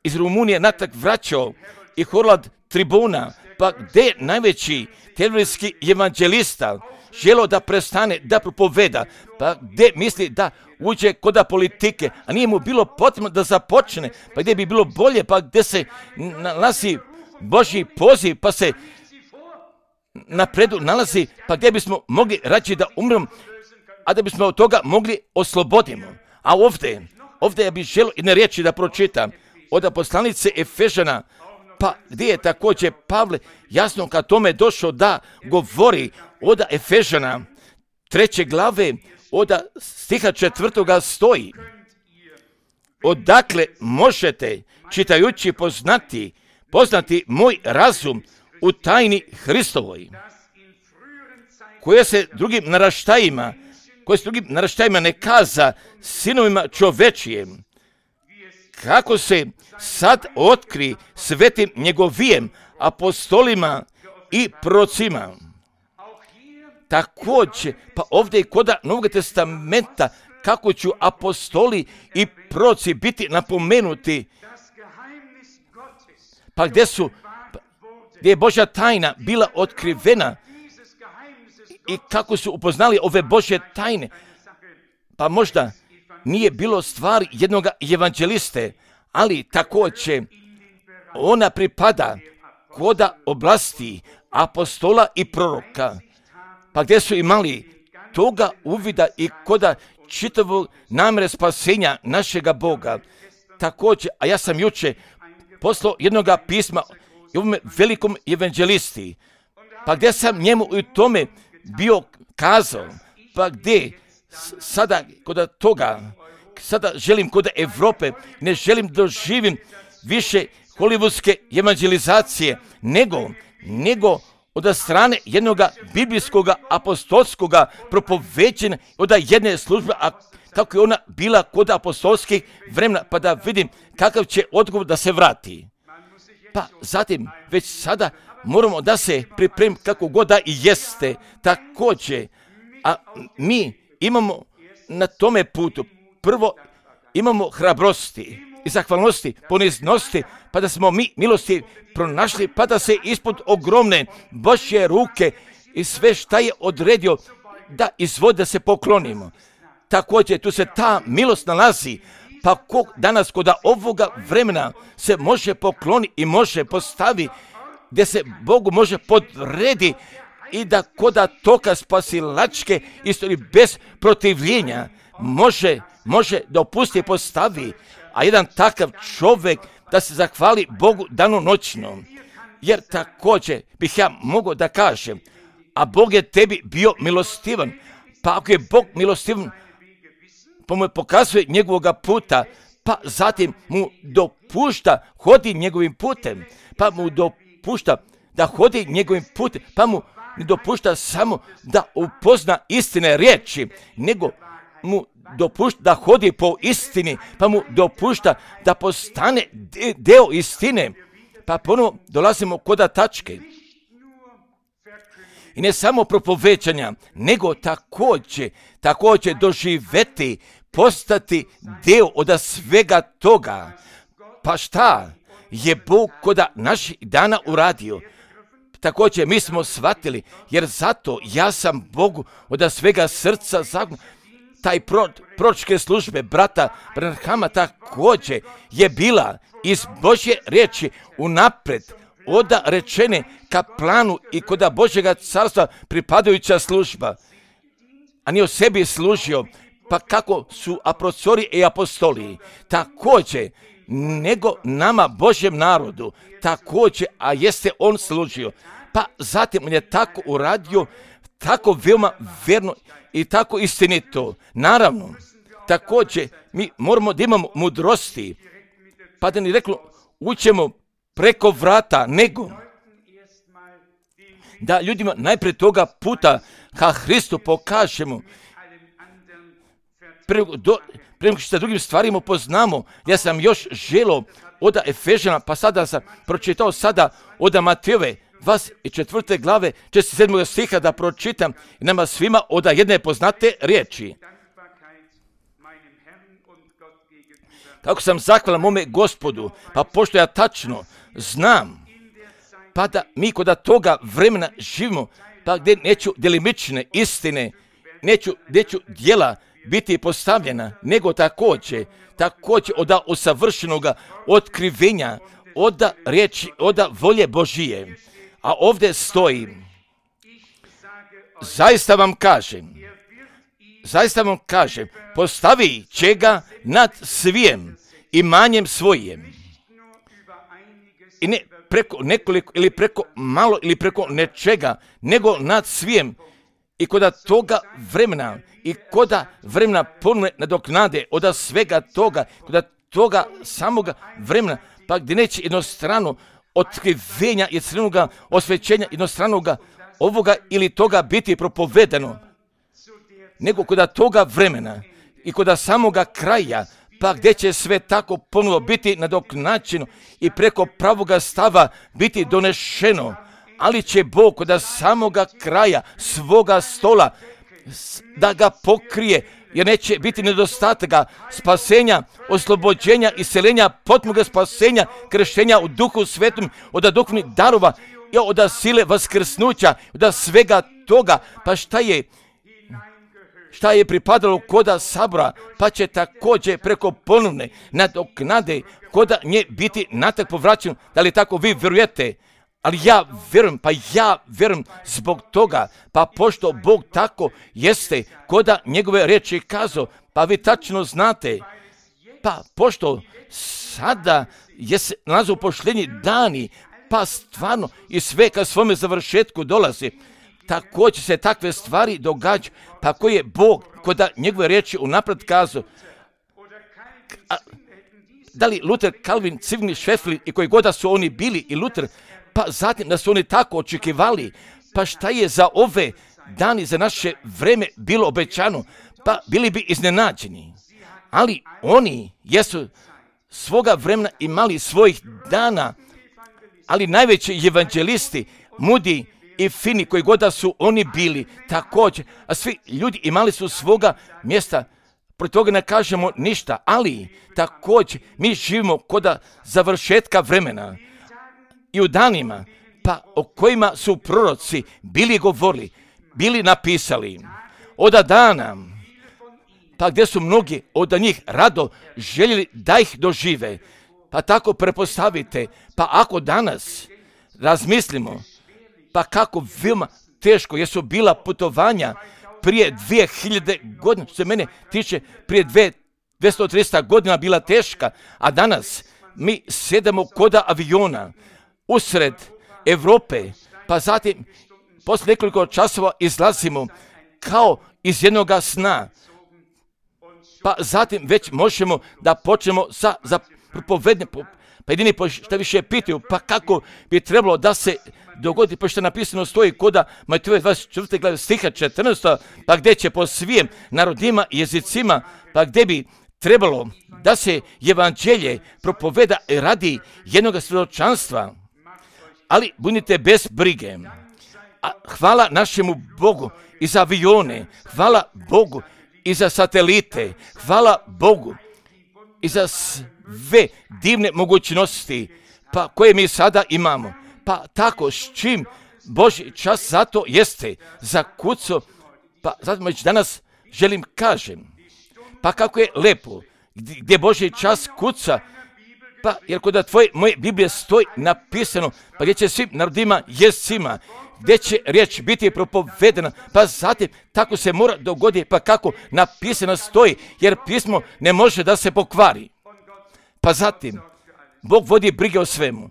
iz Rumunije natrag vraćao i Horlad tribuna, pa gdje najveći televizijski evanđelista želo da prestane da propoveda, pa gdje misli da uđe koda politike, a nije mu bilo potrebno da započne, pa gdje bi bilo bolje, pa gdje se nalazi Božji poziv, pa se napredu nalazi, pa gdje bismo mogli rađe da umremo, a da bismo od toga mogli oslobodimo. A ovdje ja bih želio jedne riječi da pročitam od poslanice Efežana, pa gdje je također Pavle jasno kad tome došao da govori od Efežana 3. glave od stiha 4. stoji: odakle možete čitajući poznati moj razum u tajni Hristovoj, koje se drugim naraštajima ne kaza sinovima čovečijem, kako se sad otkri svetim njegovijem apostolima i prorocima. Također, pa ovdje i koda Novog testamenta, kako ću apostoli i proroci biti napomenuti, pa gdje je Božja tajna bila otkrivena i kako su upoznali ove Božje tajne, pa možda nije bilo stvari jednog evanđeliste, ali također ona pripada koda oblasti apostola i proroka, pa gdje su imali toga uvida i koda čitavog namjere spasenja našega Boga. Također, a ja sam juče poslao jednog pisma ovome velikom evanđelisti, pa gdje sam njemu u tome bio kazao, pa gdje sada kod toga, sada želim kod Evrope, ne želim doživim više holivudske evanđelizacije, nego od strane jednog biblijskog apostolskog propoveđenja, od jedne službe, a kako je ona bila kod apostolskih vremena, pa da vidim kakav će odgovor da se vrati. Pa zatim, već sada moramo da se pripremimo kako god da i jeste također, a mi imamo na tome putu, prvo imamo hrabrosti i zahvalnosti, poniznosti, pa da smo mi milosti pronašli, pa da se ispod ogromne Božje ruke i sve šta je odredio da izvodi da se poklonimo. Također tu se ta milost nalazi, pa ko danas kod ovoga vremena se može pokloni i može postavi, gdje se Bogu može podredi i da koda toka spasilačke istorije bez protivljenja može da opusti i postavi, a jedan takav čovjek da se zahvali Bogu danonoćno. Jer također bih ja mogao da kažem, a Bog je tebi bio milostivan, pa ako je Bog milostivan, pa mu pokazuje njegovoga puta, pa zatim mu dopušta hodi njegovim putem, pa mu dopušta da hodi njegovim putem, pa mu ne dopušta samo da upozna istine riječi, nego mu dopušta da hodi po istini, pa mu dopušta da postane deo istine, pa ponovo dolazimo kod tačke. I ne samo propovećanja, nego također doživeti, postati deo od svega toga. Pa šta je Bog kod naših dana uradio? Također mi smo shvatili, jer zato ja sam Bogu od svega srca zahvalan. Taj proročke službe brata Branhama također je bila iz Božje riječi unapred oda rečene ka planu i kod Božjega carstva pripadajuća služba. A nije o sebi služio, pa kako su apostoli i apostoli, također, nego nama Božjem narodu, također, a jeste on služio. Pa zatim on je tako uradio, tako veoma verno i tako istinito. Naravno, također, mi moramo da imamo mudrosti, pa da ni reklo, ućemo preko vrata, nego da ljudima najprije toga puta ka Hristu pokažemo. Prema što sa drugim stvarima poznamo, ja sam još želio od Efežana, pa sada sam pročitao sada od Matejove 24. glave 47. stiha da pročitam nama svima od jedne poznate riječi. Kako sam zahvalan mome Gospodu, pa pošto ja tačno znam, pa da mi kod toga vremena živimo, pa gdje neću delimične istine, neću djela biti postavljena, nego također od usavršenog otkrivenja, od riječi, od volje Božije. A ovdje stoji, zaista vam kažem, postavi će ga nad svijem imanjem svojim. I ne preko nekoliko ili preko malo ili preko nečega, nego nad svijem. I kod toga vremena, i kod vremena ponovne nadoknade od svega toga, kod toga samoga vremena, pa gdje neće jednostrano otkrivenja, jednostranog osvećenja, jednostranog ovoga ili toga biti propovedano, nego kod toga vremena i kod samoga kraja, pa gdje će sve tako ponovo biti nadoknačeno i preko pravoga stava biti donešeno, ali će Bog kod samoga kraja svoga stola da ga pokrije, jer neće biti nedostataka spasenja, oslobođenja, iseljenja, potpunog spasenja, krštenja u Duhu Svetom, od duhovnih darova i od sile vaskrsnuća, od svega toga. Pa šta je pripadalo koda sabora, pa će također preko ponovne nadoknade koda nje biti natak povraćeno. Da li tako vi vjerujete? Ali ja vjerujem zbog toga, pa pošto Bog tako jeste koda njegove riječi kazao, pa vi tačno znate, pa pošto sada se nalaze u pošljenji dani, pa stvarno i sve ka svome završetku dolazi, također se takve stvari događaju, pa koji je Bog koda njegove riječi unaprijed kazao. Da li Luther, Calvin, Zwingli, Schweifel i koji god su oni bili i Luther, Pa zatim da su oni tako očekivali, pa šta je za ove dani, za naše vreme bilo obećano, pa bili bi iznenađeni. Ali oni jesu svoga vremena imali svojih dana, ali najveći evanđelisti, Moody i Finney, koji god da su oni bili, također, a svi ljudi imali su svoga mjesta, protiv toga ne kažemo ništa, ali također mi živimo kod završetka vremena i u danima, pa o kojima su proroci bili govorili, bili napisali, od dana, pa gdje su mnogi od njih rado željeli da ih dožive. Pa tako prepostavite, pa ako danas razmislimo, pa kako veoma teško jesu bila putovanja prije 2000 godina, što se mene tiče, prije 200-300 godina bila teška, a danas mi sedemo kod aviona usred Europe, pa zatim poslije nekoliko časova izlazimo kao iz jednog sna, pa zatim već možemo da počnemo za propovednje, pa jedini što više pitaju, pa kako bi trebalo da se dogodi, pa što napisano stoji koda Matejove 24. glave stiha 14. pa gdje će po svim narodima i jezicima, pa gdje bi trebalo da se evanđelje propoveda radi jednog svjedočanstva. Ali budite bez brige. A hvala našemu Bogu i za avione, hvala Bogu i za satelite, hvala Bogu i za sve divne mogućnosti pa koje mi sada imamo. Pa tako s čim Božji čas zato jeste zakucao, pa zato već danas želim kažem, pa kako je lepo gdje Božji čas kuca, pa jer kod moje Biblije stoji napisano, pa gdje će svim narodima jezicima, gdje će riječ biti propovedena, pa zatim tako se mora dogoditi, pa kako napisano stoji, jer pismo ne može da se pokvari. Pa zatim, Bog vodi brige o svemu.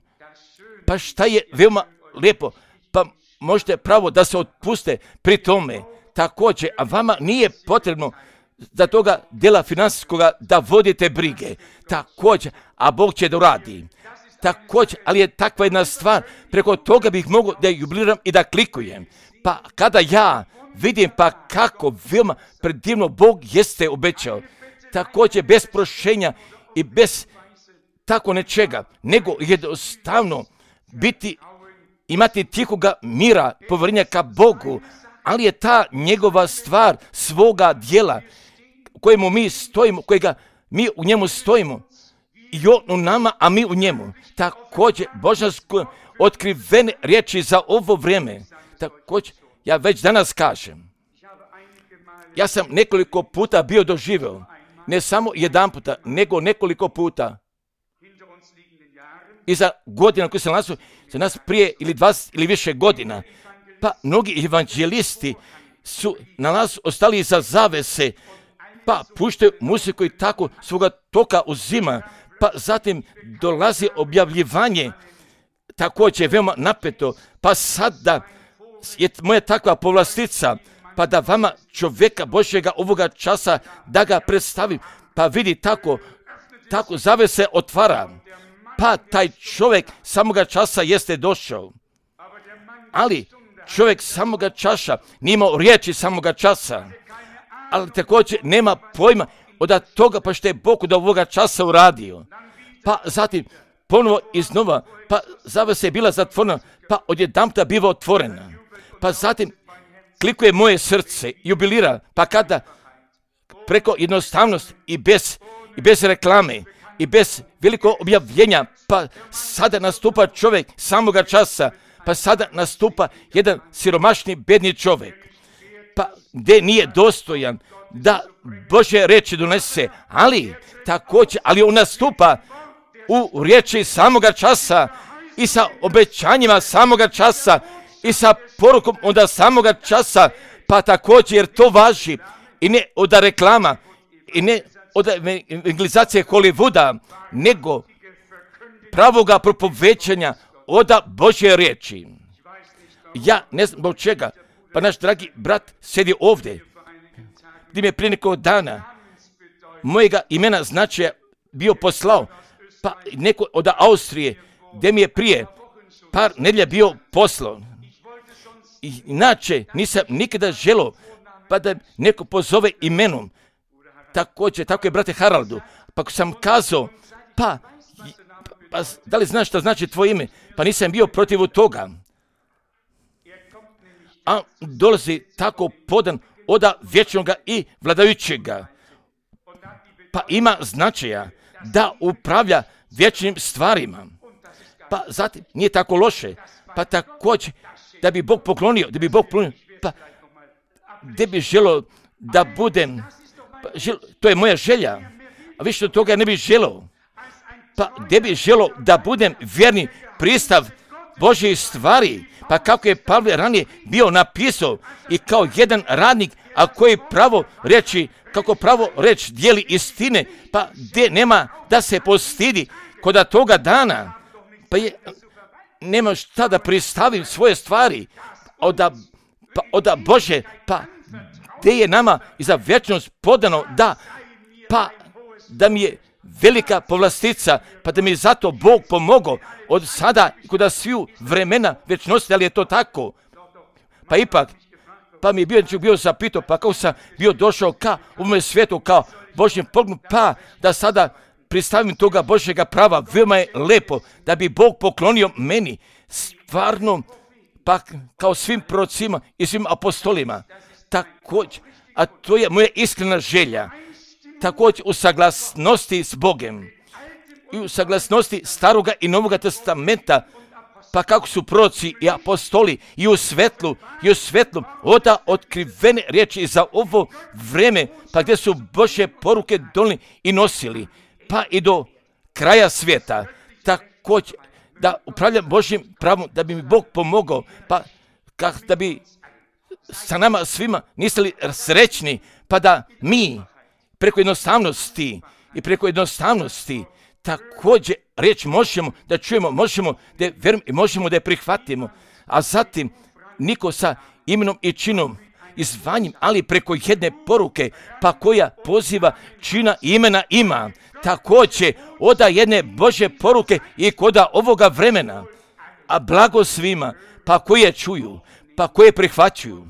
Pa šta je veoma lijepo, pa možete pravo da se otpuste pri tome. Također, a vama nije potrebno za toga dela financijskoga da vodite brige. Također, a Bog će da uradi. Također, ali je takva jedna stvar, preko toga bih mogao da jubiliram i da klikujem. Pa kada ja vidim pa kako veoma predivno Bog jeste obećao, također bez prošenja i bez tako nečega, nego jednostavno imati tihoga mira, povjerenja ka Bogu, ali je ta njegova stvar svoga djela u kojemu mi stojimo, kojega mi u njemu stojimo, i on u nama, a mi u njemu. Također, božansko otkrivene riječi za ovo vrijeme. Također, ja već danas kažem, ja sam nekoliko puta bio doživio, ne samo jedan puta, nego nekoliko puta. I za godina koji se nalazu za nas prije ili 20 ili više godina, pa mnogi evanđelisti su na nas ostali iza zavese, pa puštaju muziku i tako svoga toka uzima, pa zatim dolazi objavljivanje, također veoma napeto, pa sada je moja takva povlastica, pa da vama čovjeka Božjega ovoga časa da ga predstavim, pa vidi tako zavese otvara, pa taj čovjek samoga časa jeste došao. Ali čovjek samoga časa nije imao riječi samoga časa, ali također nema pojma od toga pa što je Bog do ovoga časa uradio. Pa zatim ponovo iznova, pa zavesa je bila zatvorena, pa odjedanputa biva otvorena. Pa zatim klikuje moje srce, jubilira, pa kada preko jednostavnosti i bez reklame i bez velikog objavljenja, pa sada nastupa čovjek samoga časa, pa sada nastupa jedan siromašni, bedni čovjek, pa gdje nije dostojan da Božje riječi donese, ali također, ali on nastupa u riječi samoga časa i sa obećanjima samoga časa i sa porukom onda samoga časa, pa također jer to važi i ne od reklama i ne od evangelizacije Hollywooda, nego pravoga propovećanja od Božje riječi. Ja ne znam zbog čega, pa naš dragi brat sjedi ovdje, gdje mi je prije nekog dana mojega imena značaja bio poslao, pa neko od Austrije, gdje mi je prije par nedjelja bio poslan. Inače, nisam nikada želio pa da neko pozove imenom. Također, tako je brate Haraldu. Pa ako sam kazao, pa da li znaš šta znači tvoje ime? Pa nisam bio protiv toga. A dolazi tako podan od vječnoga i vladajućega. Pa ima značaja da upravlja vječnim stvarima. Pa zatim nije tako loše. Pa također da bi Bog poklonio, pa gdje bi želio da budem, to je moja želja, a više od toga ne bih želio. Pa gdje bi želio da budem vjerni pristav Božjih stvari, pa kako je Pavle ranije bio napisao i kao jedan radnik, a koji pravo reći, kako pravo reći dijeli istine, pa gdje nema da se postidi kod toga dana, pa nema šta da pristavim svoje stvari od Bože, pa gdje je nama i za vječnost podano da mi je velika povlastica, pa da mi zato Bog pomogao od sada i kod sviju vremena vječnosti, ali je to tako. Pa ipak, pa mi je bio zapitao, pa kako sam bio došao ka u mome svijetu, kao Božjem pogledu, pa da sada pristavim toga Božjega prava, veoma je lepo da bi Bog poklonio meni stvarno, pa kao svim prorocima i svim apostolima. Također, a to je moja iskrena želja, također u saglasnosti s Bogem i u saglasnosti Staroga i Novoga testamenta, pa kako su proroci i apostoli i u svetlu oda otkrivene riječi za ovo vreme, pa gdje su Božje poruke donijeli i nosili, pa i do kraja svijeta. Također da upravljam Božjim pravom, da bi mi Bog pomogao, pa da bi sa nama svima nisali srećni, pa da mi preko jednostavnosti također riječ možemo da čujemo, možemo da je vjerujemo i možemo da je prihvatimo, a zatim niko sa imenom i činom i zvanjem, ali preko jedne poruke, pa koja poziva čina i imena ima, također oda jedne Božje poruke i koda ovoga vremena, a blago svima, pa koje čuju, pa koje prihvaćuju,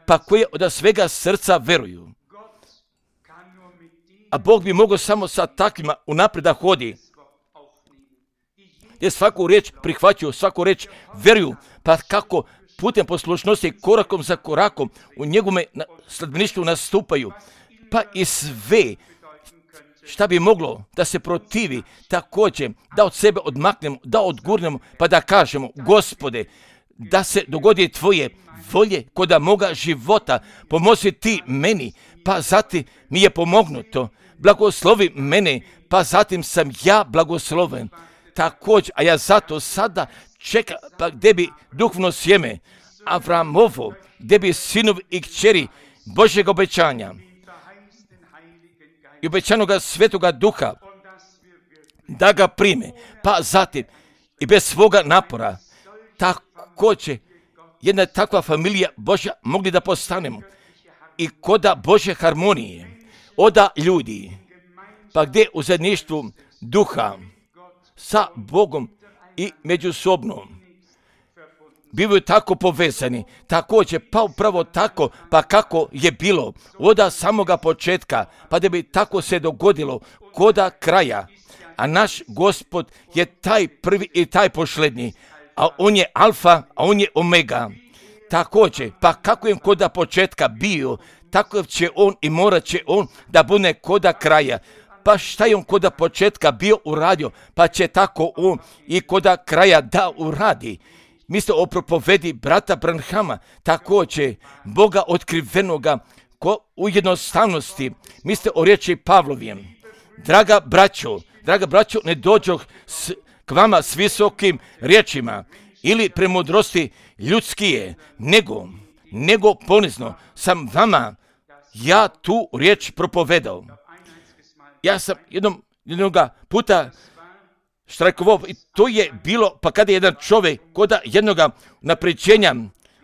pa koje od svega srca veruju. A Bog bi mogao samo sa takvima unaprijed da hodi, jer svaku riječ prihvaćuju, svaku riječ veruju, pa kako putem poslušnosti korakom za korakom u njegovome sledbeništvu nastupaju, pa i sve šta bi moglo da se protivi, također da od sebe odmaknemo, da odgurnemo, pa da kažemo, Gospode, da se dogodi tvoje volje kod moga života, pomozi ti meni, pa zatim mi je pomognuto, blagoslovi mene, pa zatim sam ja blagosloven. Također, a ja zato sada čekam, pa gdje bi duhovno sjeme Avramovo, gdje bi sinovi i kćeri Božjeg obećanja i obećanoga Svetoga Duha da ga prime, pa zatim i bez svoga napora također jedna takva familija Božja mogli da postanemo i koda Božje harmonije oda ljudi, pa gdje u zajedništvu duha sa Bogom i međusobno bivaju tako povezani, također pa upravo tako, pa kako je bilo od samoga početka, pa da bi tako se dogodilo koda kraja. A naš Gospod je taj prvi i taj posljednji, a on je alfa, a on je omega. Također, pa kako je koda početka bio, tako će on i morat će on da bude koda kraja. Pa šta je on koda početka bio uradio, pa će tako on i koda kraja da uradi. Mislite o propovedi brata Branhama, također Boga otkrivenoga u jednostavnosti. Mislite o riječi Pavlovijem. Draga braćo, ne dođoh k vama s visokim riječima ili premudrosti ljudskije, nego ponizno sam vama ja tu riječ propovedao. Ja sam jednoga puta štrajkovao i to je bilo, pa kada je jedan čovjek koda jednoga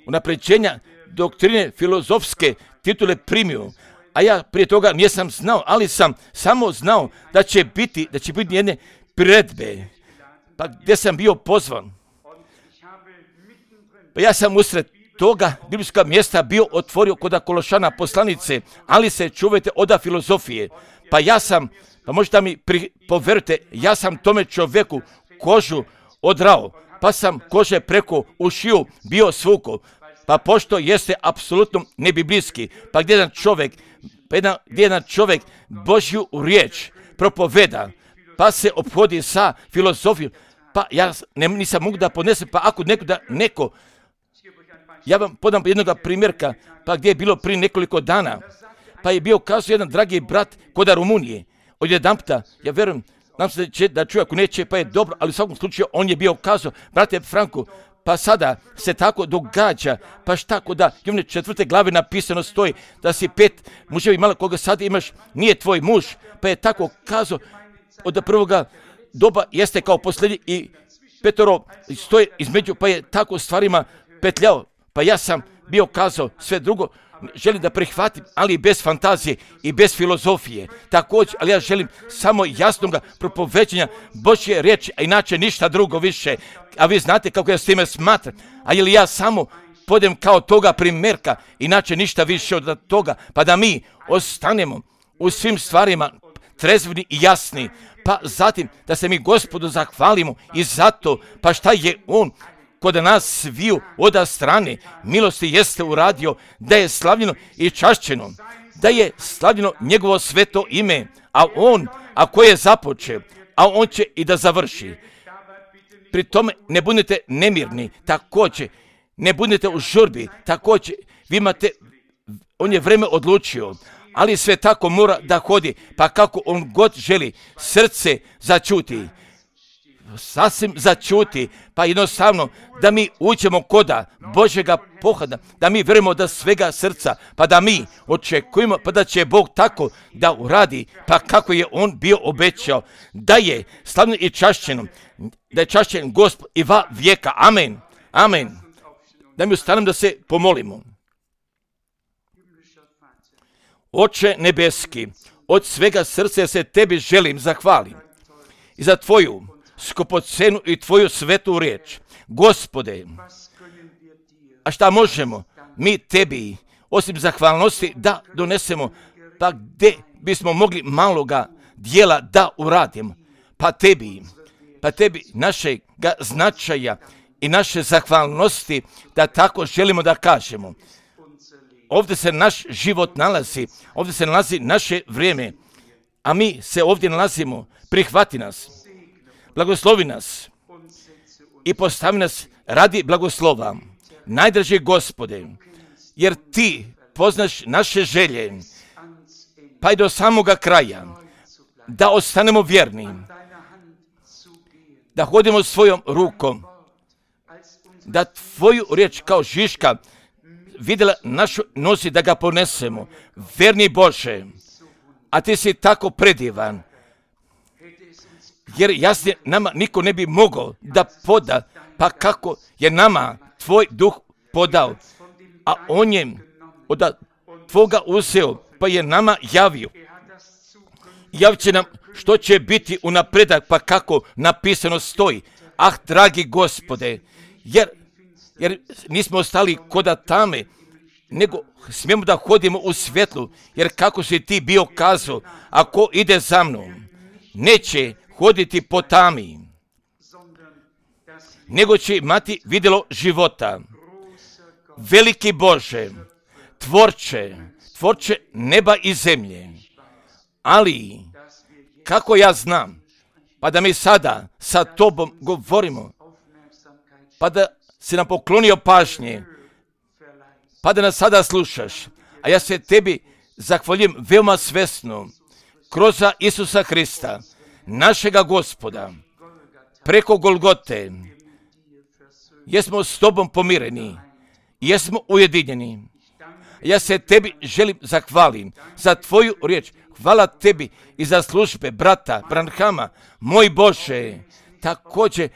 unapređenja doktrine filozofske titule primio, a ja prije toga nisam znao, ali sam samo znao da će biti jedne priredbe, pa gdje sam bio pozvan. Pa ja sam usred toga biblijska mjesta bio otvorio kod Kološana poslanice, ali se čuvajte od filozofije. Pa možete mi poverujte, ja sam tome čovjeku kožu odrao, pa sam kože preko ušiju bio svuko. Pa pošto jeste apsolutno nebiblijski, pa gdje jedan čovjek Božju riječ propoveda, pa se ophodi sa filozofijom, pa ja nisam mogu da podnesem, pa ako neko, ja vam podam jednog primjerka, pa gdje je bilo prije nekoliko dana, pa je bio kazao jedan dragi brat kod Rumunije, odjedanputa, ja vjerujem, nam se da čuje, ako neće, pa je dobro, ali u svakom slučaju on je bio kazao, brate Franko, pa sada se tako događa, pa šta kod da Jovne 4. glave napisano stoji da si 5 muževi malo koga sad imaš, nije tvoj muž, pa je tako kazao od prvoga doba jeste kao posljednji i 5 stoji između, pa je tako stvarima petljao, pa ja sam bio kazao sve drugo, želim da prihvatim, ali bez fantazije i bez filozofije. Također, ali ja želim samo jasnog propoveđenja Božje riječi, a inače ništa drugo više. A vi znate kako ja s time smatram. A ili ja samo podem kao toga primjerka, inače ništa više od toga, pa da mi ostanemo u svim stvarima trezveni i jasni, pa zatim da se mi Gospodu zahvalimo i zato, pa šta je On kod nas sviju od strane milosti jeste uradio, da je slavljeno i čašćeno, da je slavljeno njegovo sveto ime, a on, ako je započeo, a on će i da završi. Pri tome ne budete nemirni, također, ne budete u žurbi, također, vi imate, on je vreme odlučio, ali sve tako mora da hodi, pa kako on god želi, srce začuti. Sasvim začuti, pa jednostavno da mi uđemo koda Božjega pohoda, da mi vjerujemo da svega srca, pa da mi očekujemo, pa da će Bog tako da uradi, pa kako je On bio obećao, da je slavno i čašćeno, da je čašćen Gospod i va vijeka. Amen. Amen. Da mi ustanem da se pomolimo. Oče nebeski, od svega srca se tebi želim zahvalim i za tvoju skupocenu i tvoju svetu riječ. Gospode, a šta možemo mi tebi, osim zahvalnosti, da donesemo, pa gdje bismo mogli maloga dijela da uradimo, pa tebi našega značaja i naše zahvalnosti, da tako želimo da kažemo. Ovdje se naš život nalazi, ovdje se nalazi naše vrijeme, a mi se ovdje nalazimo, prihvati nas. Blagoslovi nas i postavi nas radi blagoslova. Najdraži Gospode, jer ti poznaš naše želje, pa i do samoga kraja, da ostanemo vjerni, da hodimo svojom rukom, da tvoju riječ kao žiška vidjela našu nosi, da ga ponesemo. Verni Bože, a ti si tako predivan, jer jasnije nama niko ne bi mogao da poda, pa kako je nama tvoj duh podao, a on je od tvoga uzeo, pa je nama javio. Javit će nam što će biti u napredak, pa kako napisano stoji. Ah, dragi Gospode, jer nismo ostali koda tame, nego smijemo da hodimo u svjetlu, jer kako si ti bio kazao, ako ide za mnom, neće hoditi po tami, nego će imati vidjelo života. Veliki Bože, tvorče neba i zemlje, ali kako ja znam, pa da mi sada sa tobom govorimo, pa da si nam poklonio pažnje, pa da nas sada slušaš, a ja se tebi zahvaljujem veoma svesno, kroz Isusa Hrista, našega Gospoda, preko Golgote, jesmo s tobom pomireni, jesmo ujedinjeni. Ja se tebi želim zahvalim za tvoju riječ. Hvala tebi i za službe brata Branhama, moj Bože. Također,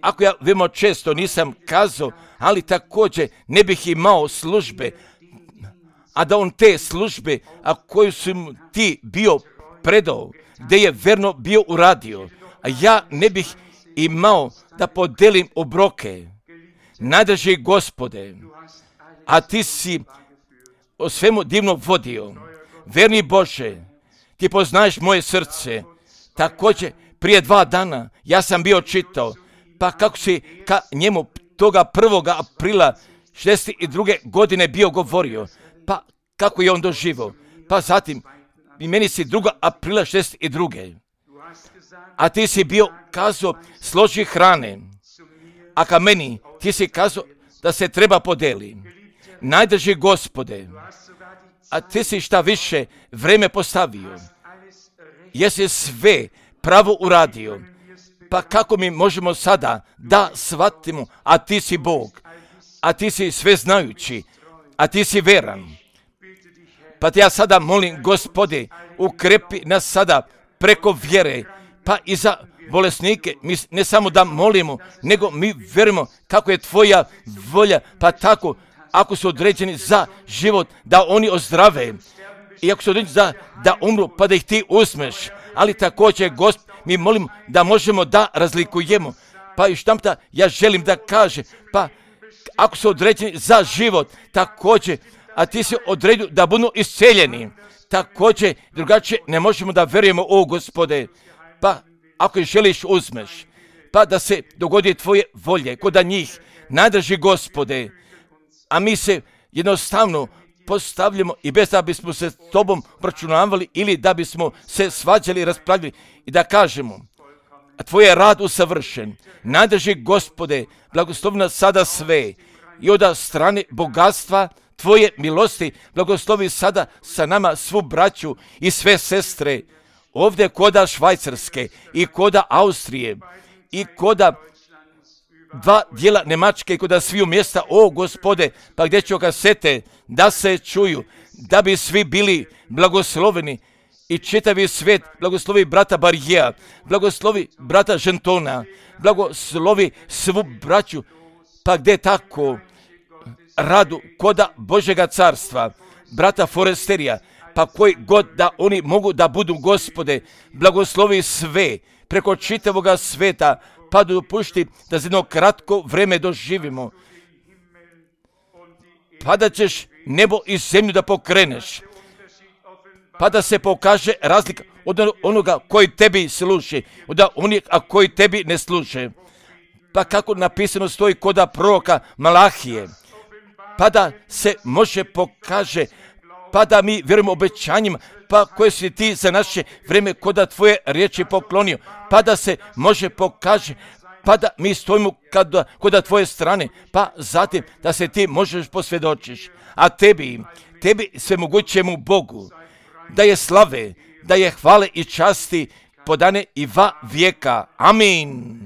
ako ja veoma često nisam kazao, ali također ne bih imao službe, a da on te službe, a koju su ti bio predao, gdje je verno bio uradio, a ja ne bih imao da podelim obroke, Najdraži Gospode, a ti si o svemu divno vodio. Verni Bože, ti poznaješ moje srce. Također, prije 2 dana ja sam bio čitao, pa kako si ka njemu toga 1. aprila 62. godine bio govorio, pa kako je on doživio. Pa zatim, i meni si 2. aprila 62. A ti si bio kazao složi hrane, a ka meni ti si kazao da se treba podeli. Najdraži Gospode, a ti si šta više vreme postavio. Jesi sve pravo uradio. Pa kako mi možemo sada da shvatimo, a ti si Bog, a ti si sveznajući, a ti si veran. Pa te ja sada molim, Gospode, ukrepi nas sada preko vjere, pa i za bolesnike, mi ne samo da molimo, nego mi vjerujemo kako je tvoja volja, pa tako, ako su određeni za život, da oni ozdrave, i ako su određeni da umru, pa da ih ti uzmeš, ali također, Gospod, mi molimo da možemo da razlikujemo, pa i štamta, ja želim da kaže, pa ako su određeni za život, također, a ti si odredio da budu isceljeni, također, drugačije ne možemo da vjerujemo, o Gospode, pa ako ih želiš uzmeš, pa da se dogodi tvoje volje kod njih, najdraži Gospode, a mi se jednostavno postavljamo i bez da bismo se s tobom pročunavali ili da bismo se svađali i raspravljali i da kažemo, a tvoj je rad usavršen, najdraži Gospode, blagoslovi nas sada sve i od strane bogatstva tvoje milosti, blagoslovi sada sa nama svu braću i sve sestre, ovdje koda Švajcarske i koda Austrije i koda 2 dijela Njemačke i koda sviju mjesta, o Gospode, pa gdje će kasete da se čuju, da bi svi bili blagosloveni i čitavi svijet, blagoslovi brata Barijeja, blagoslovi brata Žentona, blagoslovi svu braću, pa gdje tako radu koda Božega carstva, brata Foresterija, pa koji god da oni mogu da budu, Gospode, blagoslovi sve preko čitavoga sveta, pa dopušti da za jedno kratko vreme doživimo, pa da ćeš nebo i zemlju da pokreneš, pa da se pokaže razlika od onoga koji tebi služi, od onih koji tebi ne služe, pa kako napisano stoji koda proroka Malahije, pa da se može pokaže, pa da mi vjerujemo obećanjima, pa koje si ti za naše vrijeme koda tvoje riječi poklonio, pa da se može pokaže, pa da mi stojimo koda tvoje strane, pa zatim da se ti možeš posvjedočiš, a tebi svemogućemu Bogu, da je slave, da je hvale i časti podane i va vijeka. Amin.